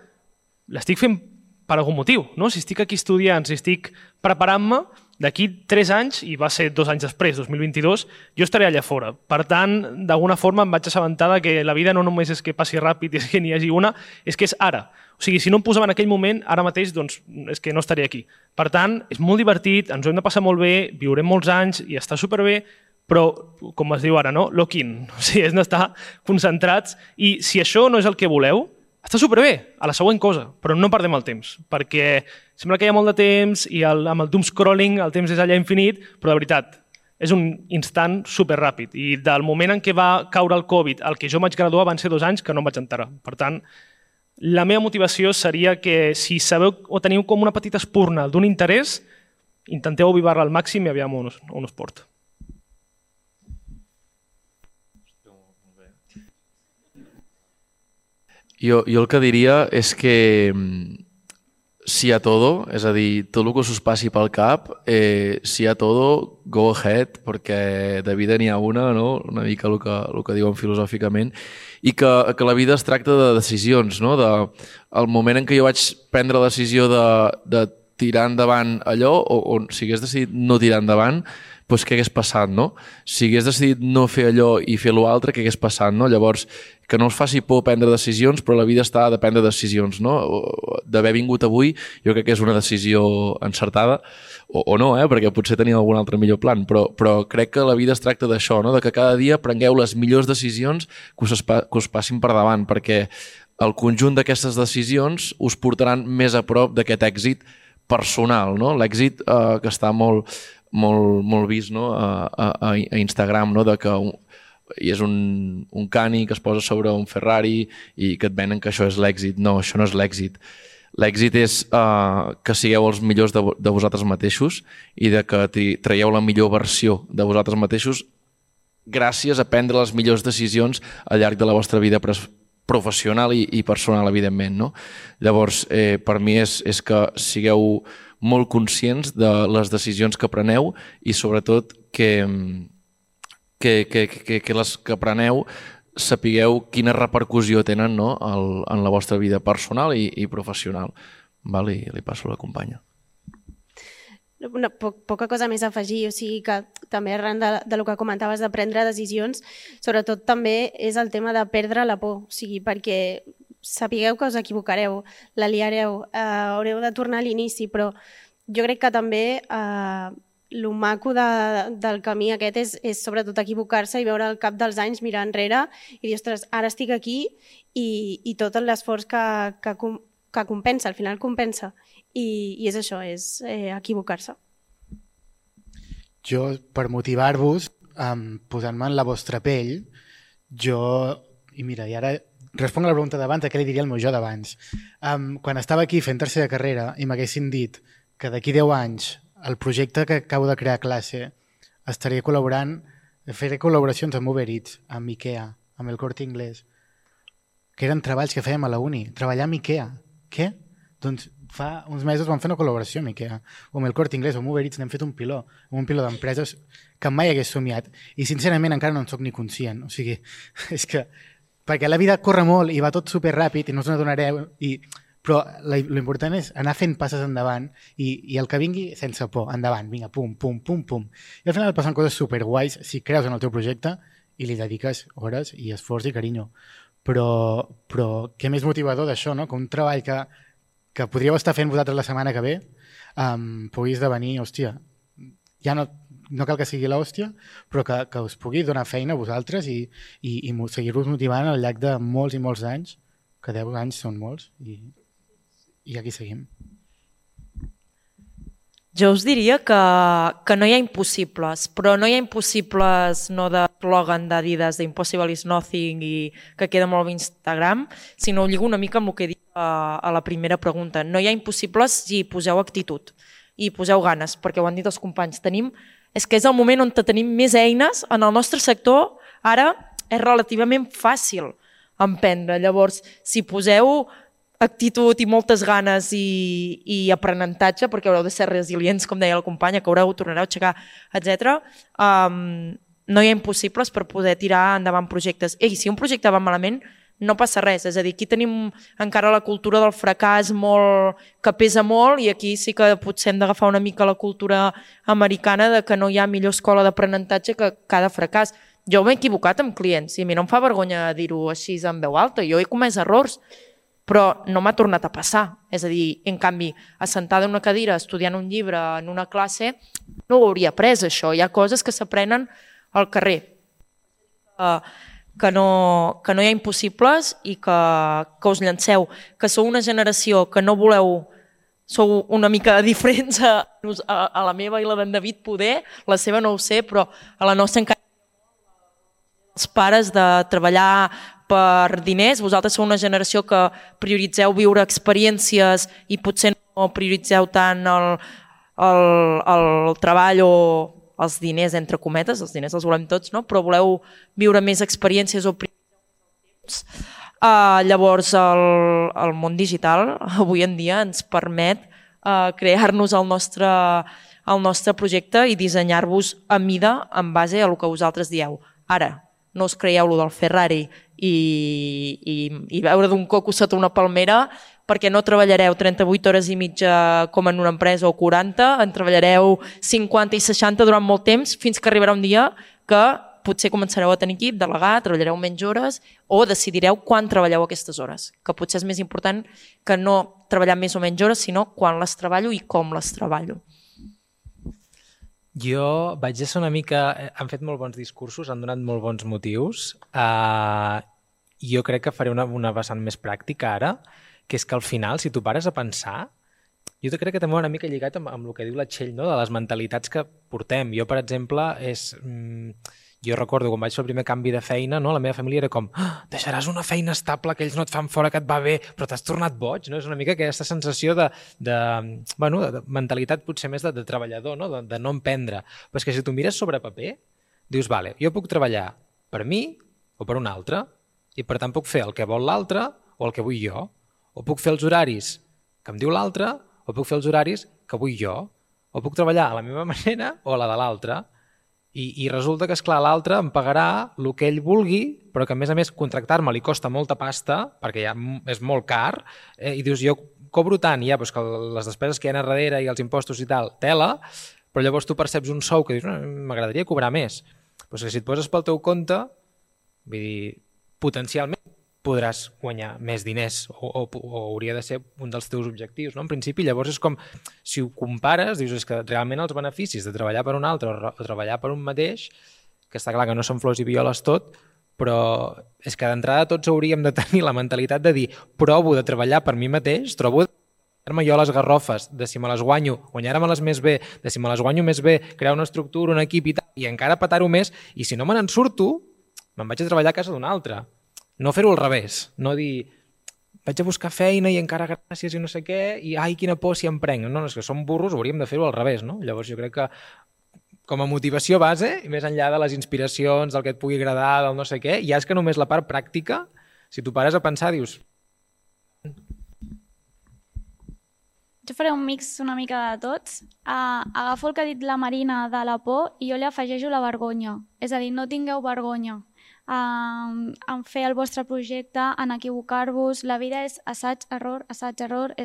l'estic fent per algun motiu, si estic aquí estudiant, si estic preparant-me, d'aquí 3 anys, i va ser 2 anys després, 2022, jo estaré allà fora. Per tant, d'alguna forma em vaig assabentar que la vida no només és que passi ràpid i és que n'hi hagi una, és que és ara. O sigui, si no em posava en aquell moment, ara mateix, doncs és que no estaré aquí. Per tant, és molt divertit, ens ho hem de passar molt bé, viurem molts anys i està superbé, però, com es diu ara, lock in. O sigui, és d'estar concentrats i si això no és el que voleu, està superbé, a la següent cosa, però no perdem el temps, perquè sembla que hi ha molt de temps i amb el doom scrolling el temps és allà infinit, però de veritat, és un instant superràpid. I del moment en què va caure el Covid al que jo vaig graduar van ser 2 anys que no em vaig enterar. Per tant, la meva motivació seria que si sabeu o teniu com una petita espurna d'un interès, intenteu avivar-la al màxim i aviam on us porta. Jo el que diria és que si a todo, és a dir, tot el que us passi pel cap, si a todo, go ahead, perquè de vida n'hi ha una, no? Una mica el que diuen filosòficament, i que la vida es tracta de decisions, no? El moment en què jo vaig prendre la decisió de tirar endavant allò, o si hagués decidit no tirar endavant, doncs què hagués passat, no? Si hagués decidit no fer allò i fer l'altre, què hagués passat, no? Llavors, que no us faci por prendre decisions, però la vida està de prendre decisions, no? D'haver vingut avui, jo crec que és una decisió encertada, o no, perquè potser tenia algun altre millor plan, però crec que la vida es tracta d'això, no? De que cada dia prengueu les millors decisions que us passin per davant, perquè el conjunt d'aquestes decisions us portaran més a prop d'aquest èxit personal, no? L'èxit que està molt vist, no? a Instagram, no? De que i és un cani que es posa sobre un Ferrari i que et venen que això és l'èxit. No, això no és l'èxit. L'èxit és que sigueu els millors de vosaltres mateixos i de que traieu la millor versió de vosaltres mateixos gràcies a prendre les millors decisions al llarg de la vostra vida professional i personal, evidentment, no? Llavors, per mi és que sigueu molt conscients de les decisions que preneu i sobretot que les que preneu sapigueu quina repercussió tenen, no? En la vostra vida personal i professional. Val? I li passo a la companya. Poca cosa més a afegir, o sigui que també arran del que comentaves de prendre decisions, sobretot també és el tema de perdre la por, o sigui, perquè sapigueu que us equivocareu, la liareu, haureu de tornar a l'inici, però jo crec que també el maco del camí aquest és sobretot equivocar-se i veure al cap dels anys, mirar enrere i dir, ostres, ara estic aquí i tot l'esforç que compensa, al final compensa. I és això, és equivocar-se. Jo, per motivar-vos, posant-me en la vostra pell, i mira, i ara responc a la pregunta d'abans, què li diria al meu jo d'abans. Quan estava aquí fent tercera carrera i m'haguessin dit que d'aquí 10 anys el projecte que acabo de crear a classe estaré col·laborant, faré col·laboracions amb Uber Eats, amb Ikea, amb el Corte Inglés, que eren treballs que fèiem a la uni, treballar amb Ikea. Què? Doncs fa uns mesos vam fer una col·laboració amb Ikea, o amb el Corte Inglés, o amb Uber Eats, n'hem fet un piló d'empreses que mai hagués somiat. I sincerament encara no en soc ni conscient. O sigui, és que perquè la vida corre molt i va tot superràpid i no us n'adonareu, però l'important és anar fent passes endavant i el que vingui sense por, endavant, vinga, pum, pum, pum, pum. I al final passen coses superguais si creus en el teu projecte i li dediques hores i esforç i carinyo. Però què més motivador d'això, no? Que un treball que podríeu estar fent vosaltres la setmana que ve pugui esdevenir, hòstia, ja no cal que sigui l'hòstia, però que us pugui donar feina a vosaltres i seguir-vos motivant al llarg de molts i molts anys, que 10 anys són molts, i aquí seguim. Jo us diria que no hi ha impossibles, però no hi ha impossibles no de eslògan d'Adidas, d'Impossible is nothing i que queda molt a Instagram, sinó ho lligo una mica amb el que he dit a la primera pregunta. No hi ha impossibles si poseu actitud i poseu ganes, perquè ho han dit els companys. És que és el moment on tenim més eines. En el nostre sector ara és relativament fàcil emprendre. Llavors, si poseu actitud i moltes ganes i aprenentatge, perquè haureu de ser resilients, com deia la companya, que tornareu a aixecar, etc. No hi ha impossibles per poder tirar endavant projectes. I si un projecte va malament, no passa res. És a dir, aquí tenim encara la cultura del fracàs que pesa molt i aquí sí que potser hem d'agafar una mica la cultura americana de que no hi ha millor escola d'aprenentatge que cada fracàs. Jo m'he equivocat amb clients i a mi no em fa vergonya dir-ho així en veu alta. Jo he comès errors, però no m'ha tornat a passar. És a dir, en canvi, assentada en una cadira, estudiant un llibre en una classe, no ho hauria après, això. Hi ha coses que s'aprenen al carrer. Que no hi ha impossibles i que us llanceu. Que sou una generació que no voleu... Sou una mica diferents a la meva i la d'en David poder. La seva no ho sé, però a la nostra encara els pares de treballar per diners. Vosaltres sou una generació que prioritzeu viure experiències i potser no prioritzeu tant el treball o els diners, entre cometes, els diners els volem tots, no? Però voleu viure més experiències o prioritzeu més el temps. Llavors, el món digital avui en dia ens permet crear-nos el nostre projecte i dissenyar-vos a mida en base a el que vosaltres dieu. Ara, no us creieu lo del Ferrari i veure d'un coco sota una palmera perquè no treballareu 38 hores i mitja com en una empresa o 40, en treballareu 50 i 60 durant molt temps, fins que arribarà un dia que potser començareu a tenir equip, delegar, treballareu menys hores o decidireu quan treballeu aquestes hores, que potser és més important que no treballar més o menys hores, sinó quan les treballo i com les treballo. Jo vaig ser una mica... Han fet molt bons discursos, han donat molt bons motius. Jo crec que faré una vessant més pràctica ara, que és que al final, si tu pares a pensar, jo crec que també va una mica lligat amb el que diu la Txell, no? De les mentalitats que portem. Jo, per exemple, jo recordo quan vaig fer el primer canvi de feina, no? La meva família era com deixaràs una feina estable, que ells no et fan fora, que et va bé, però t'has tornat boig, no? És una mica aquesta sensació de mentalitat potser més de treballador, no? De no emprendre. Però és que si tu mires sobre paper, dius, vale, jo puc treballar per mi o per un altre, i per tant puc fer el que vol l'altre o el que vull jo, o puc fer els horaris que em diu l'altre o puc fer els horaris que vull jo, o puc treballar a la meva manera o a la de l'altre. I resulta que, esclar, l'altre em pagarà el que ell vulgui, però que, a més, contractar-me li costa molta pasta, perquè ja és molt car, i dius, jo cobro tant, ja, doncs que les despeses que hi ha a darrere i els impostos i tal, tela, però llavors tu perceps un sou que dius, m'agradaria cobrar més. Doncs que si et poses pel teu compte, vull dir, potencialment podràs guanyar més diners o hauria de ser un dels teus objectius, no? En principi, llavors és com, si ho compares, dius, és que realment els beneficis de treballar per un altre o treballar per un mateix, que està clar que no són flors i violes tot, però és que d'entrada tots hauríem de tenir la mentalitat de dir, provo de treballar per mi mateix, trobo de guanyar-me jo les garrofes, de si me les guanyo, guanyar-me-les més bé, de si me les guanyo més bé, crear una estructura, un equip i tal, i encara petar-ho més, i si no me n'en surto, me'n vaig a treballar a casa d'un altre. No fer-ho al revés, no dir vaig a buscar feina i encara gràcies i no sé què, i ai, quina por si em prenc. No, és que som burros, hauríem de fer-ho al revés, no? Llavors jo crec que com a motivació base, i més enllà de les inspiracions, del que et pugui agradar, del no sé què, ja és que només la part pràctica, si tu pares a pensar, dius... Jo faré un mix una mica de tots. Agafo el que ha dit la Marina de la por i jo li afegeixo la vergonya. És a dir, no tingueu vergonya en fer el vostre projecte, en equivocar-vos. La vida és assaig, error, és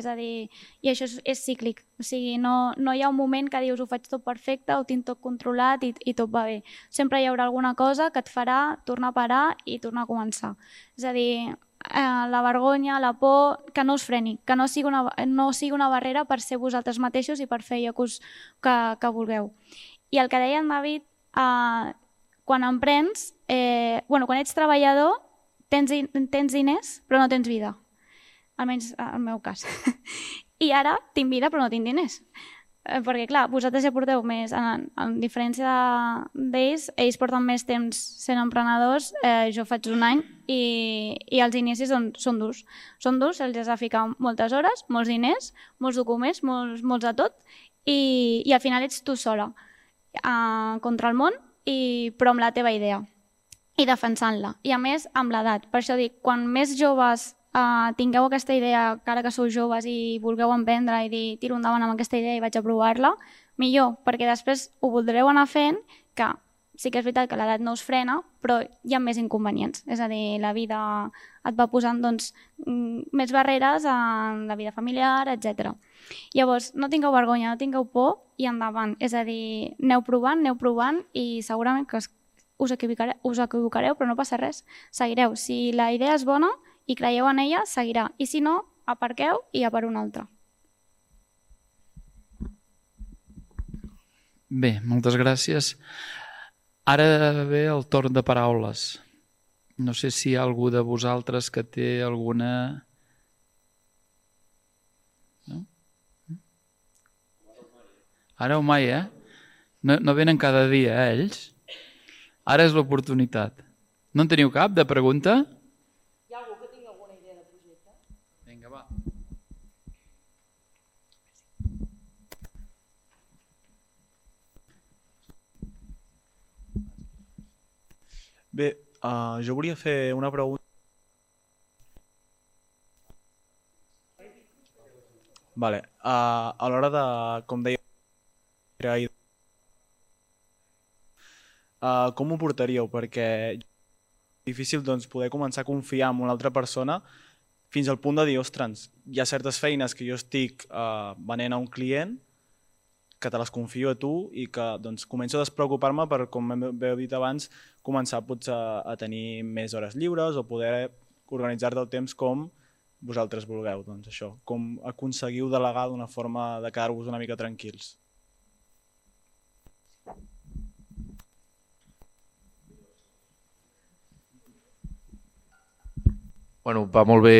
a dir, i això és cíclic. O sigui, no hi ha un moment que dius ho faig tot perfecte, ho tinc tot controlat i tot va bé. Sempre hi haurà alguna cosa que et farà tornar a parar i tornar a començar. És a dir, la vergonya, la por, que no us freni, que no sigui una barrera per ser vosaltres mateixos i per fer allò que vulgueu. I el que deia en David, quan emprens, quan ets treballador, tens diners però no tens vida, almenys en el meu cas. I ara tinc vida però no tinc diners. Perquè, clar, vosaltres ja porteu més, en diferència d'ells, ells porten més temps sent emprenedors, jo faig un any i els inicis són durs. Són durs, els has de ficar moltes hores, molts diners, molts documents, molts de tot, i al final ets tu sola contra el món, però amb la teva idea i defensant-la. I a més, amb l'edat. Per això dic, quan més joves tingueu aquesta idea, que ara que sou joves i vulgueu emprendre i dir tiro endavant amb aquesta idea i vaig a provar-la, millor, perquè després ho voldreu anar fent, que sí que és veritat que l'edat no us frena, però hi ha més inconvenients. És a dir, la vida et va posant més barreres en la vida familiar, etc. Llavors, no tingueu vergonya, no tingueu por i endavant. És a dir, aneu provant i segurament que us equivocareu, però no passa res. Seguireu. Si la idea és bona i creieu en ella, seguirà. I si no, aparqueu i a per una altra. Bé, moltes gràcies. Ara ve el torn de paraules. No sé si hi ha algú de vosaltres que té alguna... No? Ara o mai, No venen cada dia, ells? Ara és l'oportunitat. No en teniu cap de pregunta? Hi ha algú que tingui alguna idea de projecte? Vinga, va. Bé, jo volia fer una pregunta. Vale. A l'hora de, com deia, com ho portaríeu? Perquè és difícil poder començar a confiar en una altra persona fins al punt de dir, ostres, hi ha certes feines que jo estic venent a un client que te les confio a tu i que doncs, començo a despreocupar-me per, com heu dit abans, començar potser a tenir més hores lliures o poder organitzar-te el temps com vosaltres vulgueu. Doncs això, com aconseguiu delegar d'una forma de quedar-vos una mica tranquils. Bueno, va molt bé,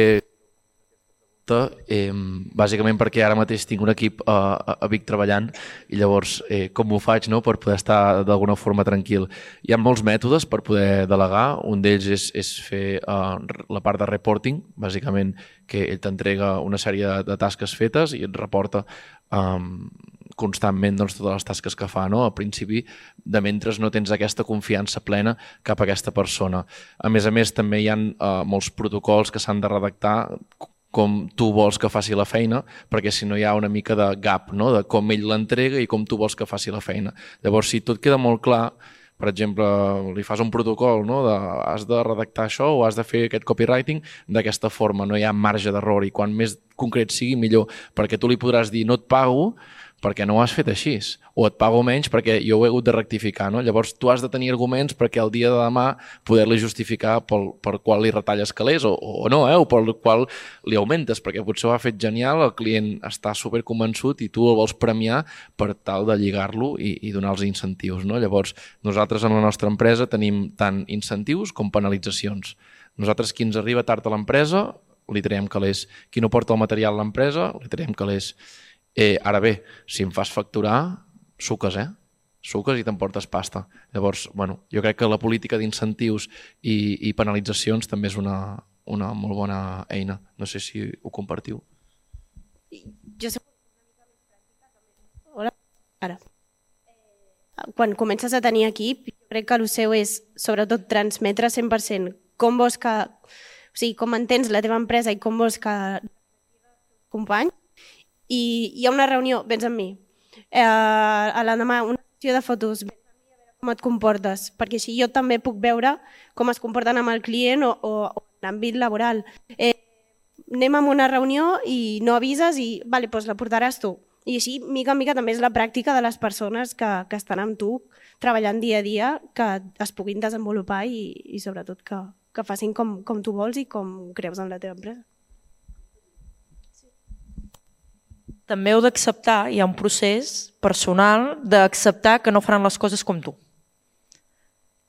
bàsicament perquè ara mateix tinc un equip a Vic treballant i llavors com ho faig, no?, per poder estar d'alguna forma tranquil. Hi ha molts mètodes per poder delegar, un d'ells és fer la part de reporting, bàsicament que ell t'entrega una sèrie de tasques fetes i et reporta constantment doncs, totes les tasques que fa, no? Al principi, de mentre no tens aquesta confiança plena cap a aquesta persona. A més, també hi ha molts protocols que s'han de redactar com tu vols que faci la feina, perquè si no hi ha una mica de gap, no?, de com ell l'entrega i com tu vols que faci la feina. Llavors, si tot queda molt clar, per exemple, li fas un protocol, no?, de has de redactar això o has de fer aquest copywriting d'aquesta forma, no hi ha marge d'error i quan més concret sigui millor, perquè tu li podràs dir no et pago perquè no ho has fet així, o et pago menys perquè jo ho he hagut de rectificar, no? Llavors tu has de tenir arguments perquè el dia de demà poder-li justificar per qual li retalles calés o no, o per qual li augmentes, perquè potser ho ha fet genial, el client està superconvençut i tu el vols premiar per tal de lligar-lo i donar-los incentius, no? Llavors nosaltres en la nostra empresa tenim tant incentius com penalitzacions. Nosaltres qui ens arriba tard a l'empresa li traiem calés, qui no porta el material a l'empresa li traiem calés. Ara bé, si em fas facturar, suques, suques i t'emportes pasta. Llavors, bueno, jo crec que la política d'incentius i penalitzacions també és una molt bona eina. No sé si ho compartiu. Jo sé Hola. Ara. Quan comences a tenir equip, jo crec que el seu és, sobretot, transmetre 100% com vols que... O sigui, com entens la teva empresa i com vols que companys. I hi ha una reunió, vens amb mi, a l'endemà una sessió de fotos, vens amb mi a veure com et comportes, perquè així jo també puc veure com es comporten amb el client o en l'àmbit laboral. Anem a una reunió i no avises i vale, doncs la portaràs tu. I així, mica en mica, també és la pràctica de les persones que estan amb tu, treballant dia a dia, que es puguin desenvolupar i sobretot que facin com tu vols i com creus en la teva empresa. També heu d'acceptar, hi ha un procés personal d'acceptar que no faran les coses com tu.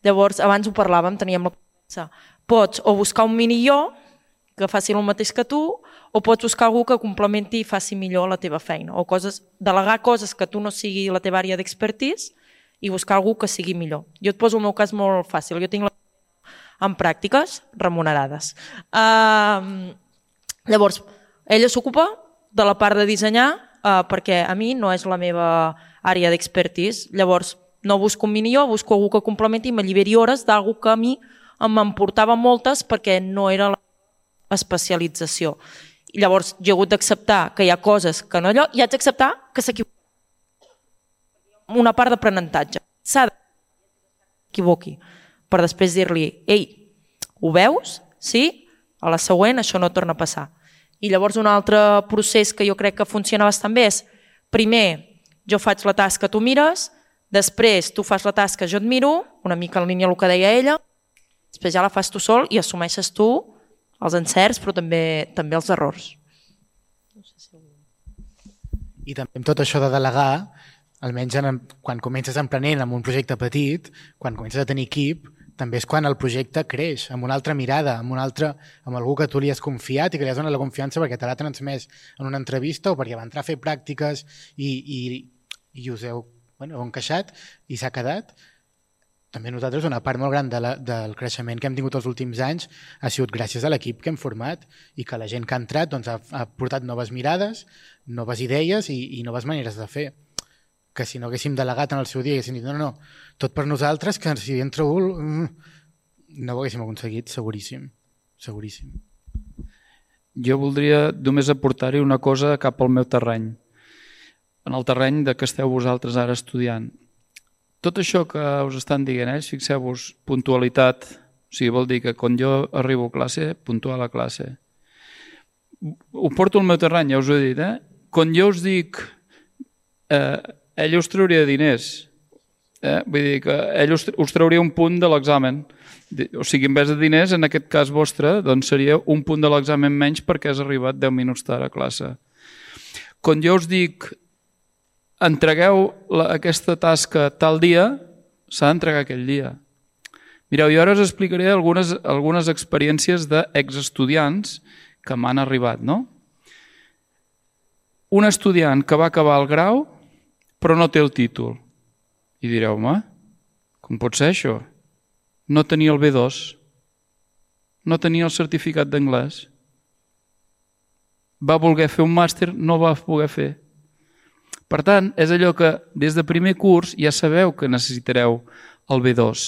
Llavors, abans ho parlàvem, teníem la conversa. Pots o buscar un mini jo que faci el mateix que tu o pots buscar algú que complementi i faci millor la teva feina o delegar coses que tu no sigui la teva àrea d'expertise i buscar algú que sigui millor. Jo et poso el meu cas molt fàcil. Jo tinc en pràctiques remunerades. Llavors, ella s'ocupa de la part de dissenyar, perquè a mi no és la meva àrea d'expertise. Llavors, no busco un mini jo, busco algú que complementi i m'alliberi hores d'algú que a mi m'emportava moltes perquè no era la especialització. I llavors, jo he hagut d'acceptar que hi ha coses que no allò, i haig d'acceptar que s'equivoqui. Una part d'aprenentatge. S'ha d'equivoqui per després dir-li, ei, ho veus? Sí? A la següent això no torna a passar. I llavors un altre procés que jo crec que funciona bastant bé és, primer, jo faig la tasca, tu mires, després tu fas la tasca, jo et miro, una mica en línia amb el que deia ella, després ja la fas tu sol i assumeixes tu els encerts però també els errors. I també amb tot això de delegar, almenys quan comences emprenent amb un projecte petit, quan comences a tenir equip, també és quan el projecte creix, amb una altra mirada, amb algú que tu li has confiat i que li has donat la confiança perquè te l'ha transmès en una entrevista o perquè va entrar a fer pràctiques i us heu encaixat i s'ha quedat. També nosaltres una part molt gran del creixement que hem tingut els últims anys ha sigut gràcies a l'equip que hem format i que la gent que ha entrat ha portat noves mirades, noves idees i noves maneres de fer. Que si no haguéssim delegat en el seu dia i haguéssim dit no, tot per nosaltres, que si entra un no ho haguéssim aconseguit, seguríssim. Jo voldria només aportar-hi una cosa cap al meu terreny, en el terreny de que esteu vosaltres ara estudiant. Tot això que us estan dient ells, fixeu-vos, puntualitat, o sigui, vol dir que quan jo arribo a classe, puntual a classe. ho porto al meu terreny, ja us ho he dit, quan jo us dic ell us trauria diners, vull dir que ell us trauria un punt de l'examen, o sigui, en vez de diners, en aquest cas vostre, doncs seria un punt de l'examen menys perquè has arribat 10 minuts tard a classe. Quan jo us dic entregueu aquesta tasca tal dia, s'ha d'entregar aquell dia. Mireu, jo ara us explicaré algunes experiències d'exestudiants que m'han arribat, no? Un estudiant que va acabar el grau però no té el títol. I direu, home, com pot ser això? No tenia el B2, no tenia el certificat d'anglès. Va voler fer un màster, no va poder fer. Per tant, és allò que des de primer curs ja sabeu que necessitareu el B2.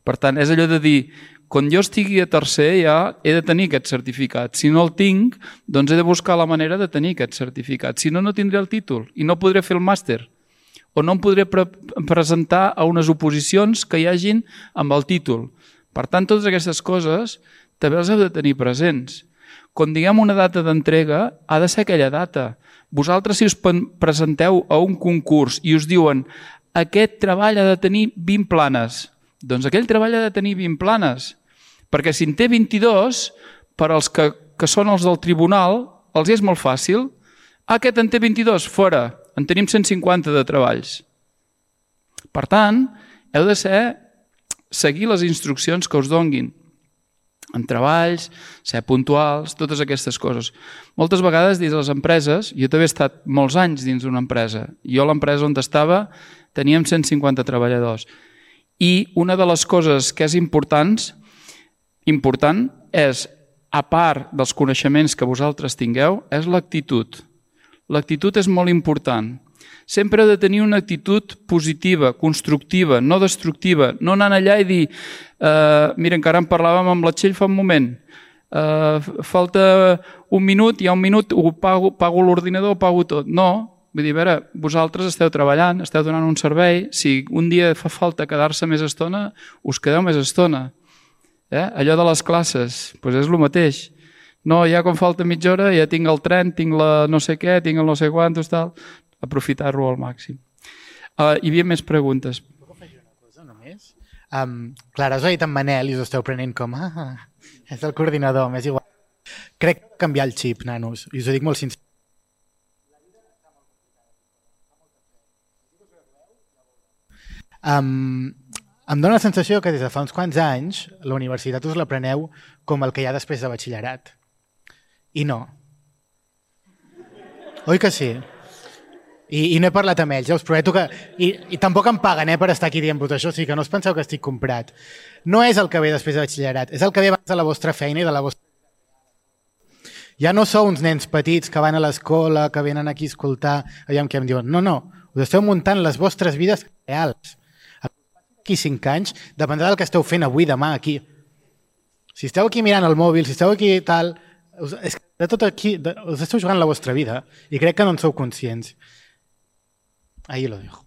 Per tant, és allò de dir, quan jo estigui a tercer ja he de tenir aquest certificat. Si no el tinc, doncs he de buscar la manera de tenir aquest certificat. Si no, no tindré el títol i no podré fer el màster. O no em podré presentar a unes oposicions que hi hagin amb el títol. Per tant, totes aquestes coses també les heu de tenir presents. Quan diguem una data d'entrega, ha de ser aquella data. Vosaltres, si us presenteu a un concurs i us diuen aquest treball ha de tenir 20 planes, doncs aquell treball ha de tenir 20 planes. Perquè si en té 22, per als que són els del tribunal, els és molt fàcil. Aquest en té 22, fora. En tenim 150 de treballs. Per tant, heu de seguir les instruccions que us donguin. En treballs, ser puntuals, totes aquestes coses. Moltes vegades dins les empreses, jo també he estat molts anys dins d'una empresa. Jo a l'empresa on estava teníem 150 treballadors. I una de les coses que és important és, a part dels coneixements que vosaltres tingueu, és l'actitud. L'actitud és molt important. Sempre heu de tenir una actitud positiva, constructiva, no destructiva. No anant allà i dir, mira, encara en parlàvem amb la Txell fa un moment, falta un minut, hi ha un minut, pago l'ordinador, pago tot. No, vull dir, a veure, vosaltres esteu treballant, esteu donant un servei, si un dia fa falta quedar-se més estona, us quedeu més estona. Allò de les classes, doncs és el mateix. No, ja quan falta mitja hora ja tinc el tren, tinc la no sé què, tinc el no sé quantos, tal. Aprofitar-lo al màxim. Hi havia més preguntes. Puc afegir una cosa només? Clar, us ha dit en Manel i us esteu prenent com és el coordinador, m'és igual. Crec que canviar el xip, nanos, i us ho dic molt sincer. Em dóna la sensació que des de fa uns quants anys la universitat us la preneu com el que hi ha després de batxillerat. I no. Oi que sí? I no he parlat amb ells, ja us prometo que... I tampoc em paguen per estar aquí dient-vos això, o sigui que no us penseu que estic comprat. No és el que ve després de batxillerat, és el que ve abans de la vostra feina i de la vostra... Ja no sou uns nens petits que van a l'escola, que venen aquí a escoltar, allà que em diuen, no, us esteu muntant les vostres vides reals. Aquí 5 anys dependrà del que esteu fent avui, demà, aquí. Si esteu aquí mirant el mòbil, si esteu aquí tal... És que de tot aquí us esteu jugant la vostra vida i crec que no en sou conscients. Ahí lo dejo.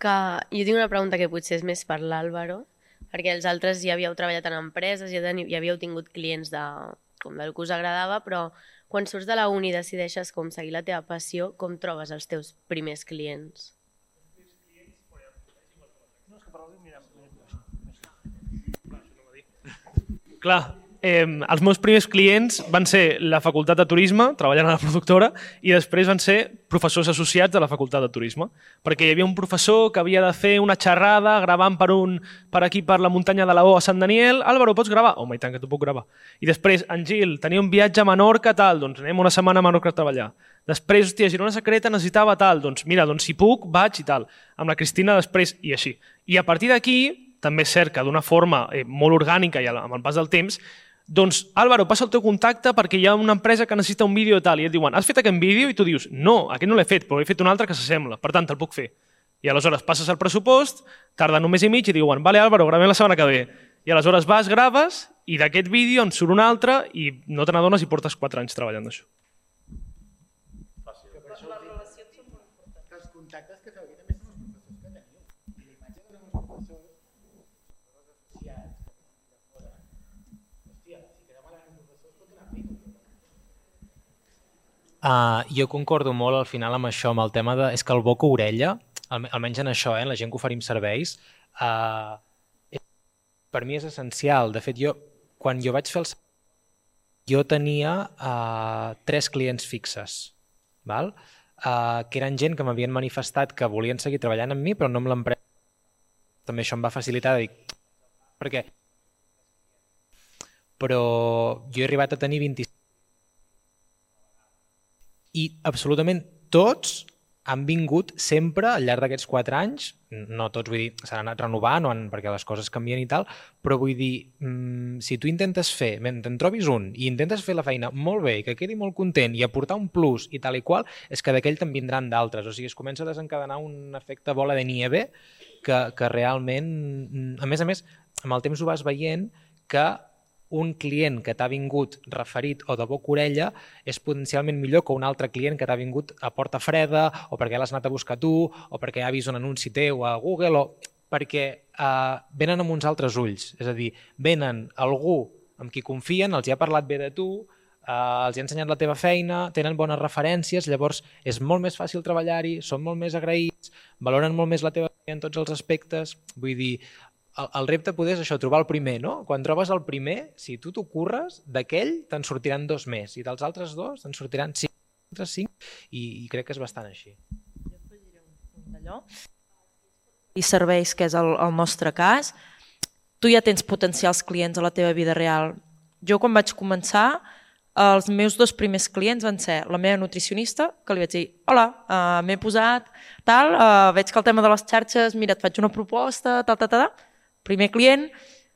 Jo tinc una pregunta que potser és més per l'Àlvaro, perquè els altres ja havíeu treballat en empreses, ja havíeu tingut clients com del que us agradava, però quan surts de la uni i decideixes com seguir la teva passió, com trobes els teus primers clients? Clar, els meus primers clients van ser la Facultat de Turisme, treballant a la productora, i després van ser professors associats de la Facultat de Turisme, perquè hi havia un professor que havia de fer una xerrada gravant per aquí, per la muntanya de la O a Sant Daniel. Álvaro, pots gravar? Home, i tant que t'ho puc gravar. I després, en Gil, tenia un viatge a Menorca, tal, doncs anem una setmana a Menorca a treballar. Després, hòstia, Girona Secreta necessitava tal, doncs mira, doncs si puc, vaig i tal. Amb la Cristina després, i així. I a partir d'aquí, també és cert que d'una forma molt orgànica i amb el pas del temps, doncs, Álvaro, passa el teu contacte perquè hi ha una empresa que necessita un vídeo i tal, i et diuen, has fet aquest vídeo? I tu dius, no, aquest no l'he fet, però he fet un altre que s'assembla, per tant, te'l puc fer. I aleshores passes el pressupost, tarda un mes i mig i diuen, vale, Álvaro, gravem la setmana que ve. I aleshores vas, graves, i d'aquest vídeo en surt un altre i no te n'adones i portes 4 anys treballant d'això. contactes que feu aquí també són els professors que teniu. I la imatge que donem els professors, els associats, que fora, hòstia, si quedem malament un professor es pot donar feina. Jo concordo molt al final amb això, amb el tema de... És que el boca-orella, almenys en això, la gent que oferim serveis, per mi és essencial. De fet, quan jo vaig fer el servei, jo tenia 3 clients fixes, val? Que eren gent que m'havien manifestat que volien seguir treballant amb mi, però no amb l'empresa. També això em va facilitar de dir... Perquè... Però jo he arribat a tenir 25... I absolutament tots han vingut sempre al llarg d'aquests 4 anys, no tots, vull dir, s'han anat renovant perquè les coses canvien i tal, però vull dir, si tu intentes fer, te'n trobis un i intentes fer la feina molt bé i que quedi molt content i aportar un plus i tal i qual, és que d'aquell te'n vindran d'altres. O sigui, es comença a desencadenar un efecte bola de nieve que realment, a més, amb el temps ho vas veient que un client que t'ha vingut referit o de boca-orella és potencialment millor que un altre client que t'ha vingut a porta freda o perquè l'has anat a buscar tu o perquè ha vist un anunci teu a Google o perquè venen amb uns altres ulls. És a dir, venen algú amb qui confien, els hi ha parlat bé de tu, els hi ha ensenyat la teva feina, tenen bones referències, llavors és molt més fàcil treballar-hi, són molt més agraïts, valoren molt més la teva feina en tots els aspectes. Vull dir, el repte poder és això, trobar el primer, no? Quan trobes el primer, si tu t'ho curres, d'aquell te'n sortiran 2 més i dels altres 2 te'n sortiran 5 i crec que és bastant així. Jo afegiré un d'allò. I serveis, que és el nostre cas, tu ja tens potencials clients a la teva vida real. Jo quan vaig començar, els meus 2 primers clients van ser la meva nutricionista, que li vaig dir, hola, m'he posat, tal, veig que el tema de les xarxes, mira, et faig una proposta, tal. Primer client,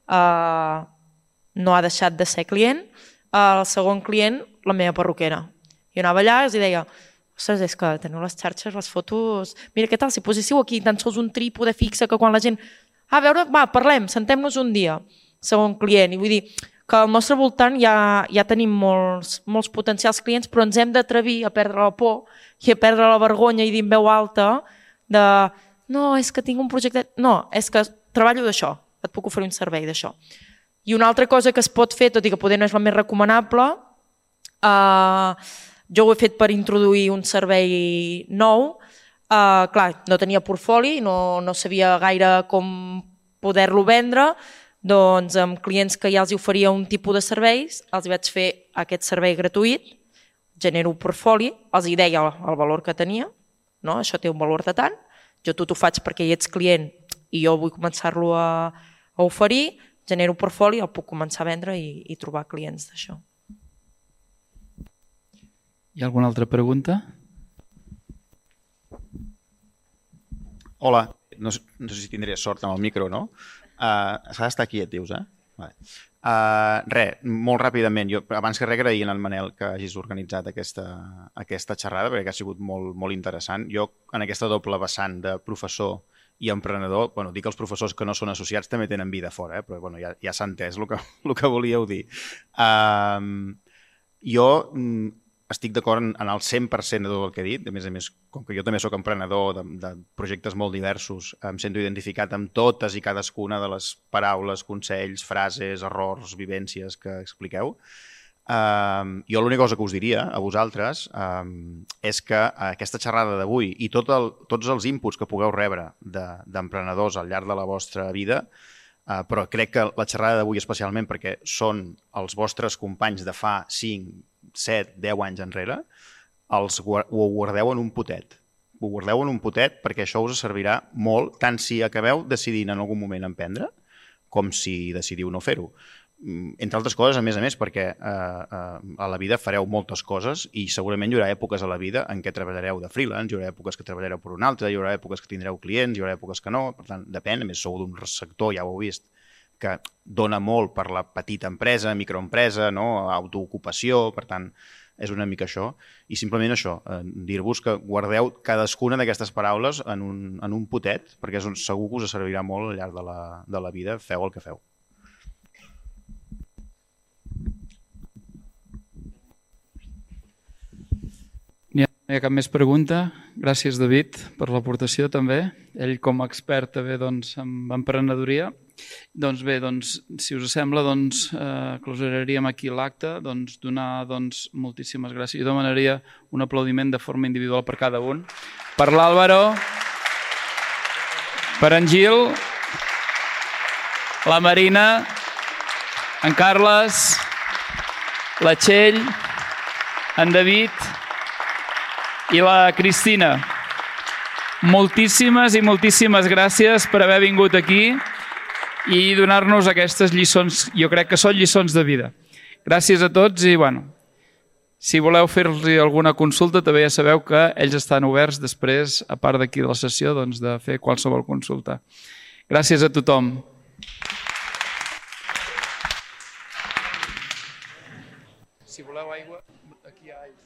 no ha deixat de ser client. El segon client, la meva perruquera. Jo anava allà i els deia, ostres, és que teniu les xarxes, les fotos... Mira, què tal, si poséssiu aquí tan sols un trípode fixe que quan la gent... A veure, va, parlem, sentem-nos un dia. Segon client. I vull dir que al nostre voltant ja tenim molts potencials clients, però ens hem d'atrevir a perdre la por i a perdre la vergonya i dir en veu alta de no, és que tinc un projecte... No, és que treballo d'això, et puc oferir un servei d'això. I una altra cosa que es pot fer, tot i que poder no és la més recomanable, jo ho he fet per introduir un servei nou. Clar, no tenia portfoli, no sabia gaire com poder-lo vendre, doncs amb clients que ja els oferia un tipus de serveis, els vaig fer aquest servei gratuït, genero un portfoli, els hi deia el valor que tenia, no? Això té un valor de tant, jo tu t'ho faig perquè hi ets client i jo vull començar-lo a oferir, genero un portfoli, el puc començar a vendre i trobar clients d'això. Hi ha alguna altra pregunta? Hola, no sé si tindré sort amb el micro, no? S'ha d'estar quiet, dius, eh? Vale. Molt ràpidament, jo abans que res agrair al Manel que hagis organitzat aquesta xerrada perquè ha sigut molt interessant. Jo en aquesta doble vessant de professor i emprenedor, dic que els professors que no són associats també tenen vida fora, però ja s'ha entès el que volíeu dir. Jo estic d'acord en el 100% de tot el que he dit, a més, com que jo també soc emprenedor de projectes molt diversos, em sento identificat amb totes i cadascuna de les paraules, consells, frases, errors, vivències que expliqueu. Jo l'única cosa que us diria a vosaltres és que aquesta xerrada d'avui i tots els inputs que pugueu rebre d'emprenedors al llarg de la vostra vida, però crec que la xerrada d'avui especialment perquè són els vostres companys de fa 5, 7, 10 anys enrere, ho guardeu en un potet. Ho guardeu en un potet perquè això us servirà molt, tant si acabeu decidint en algun moment emprendre, com si decidiu no fer-ho. Entre altres coses, a més, perquè a la vida fareu moltes coses i segurament hi haurà èpoques a la vida en què treballareu de freelance, hi haurà èpoques que treballareu per un altre, hi haurà èpoques que tindreu clients, hi haurà èpoques que no, per tant, depèn, a més sou d'un sector, ja ho heu vist, que dona molt per la petita empresa, microempresa, autoocupació, per tant, és una mica això. I simplement això, dir-vos que guardeu cadascuna d'aquestes paraules en un potet, perquè segur que us servirà molt al llarg de la vida, feu el que feu. No hi ha cap més pregunta? Gràcies, David, per l'aportació també. Ell com a expert també en emprenedoria. Doncs bé, si us sembla, closuraríem aquí l'acte. Donar moltíssimes gràcies. Jo demanaria un aplaudiment de forma individual per cada un. Per l'Àlvaro, per en Gil, la Marina, en Carles, la Txell, en David i la Cristina. Moltíssimes i moltíssimes gràcies per haver vingut aquí i donar-nos aquestes lliçons, jo crec que són lliçons de vida. Gràcies a tots i, si voleu fer-los alguna consulta, també ja sabeu que ells estan oberts després, a part d'aquí de la sessió, de fer qualsevol consulta. Gràcies a tothom. Si voleu aigua, aquí hi ha aigua.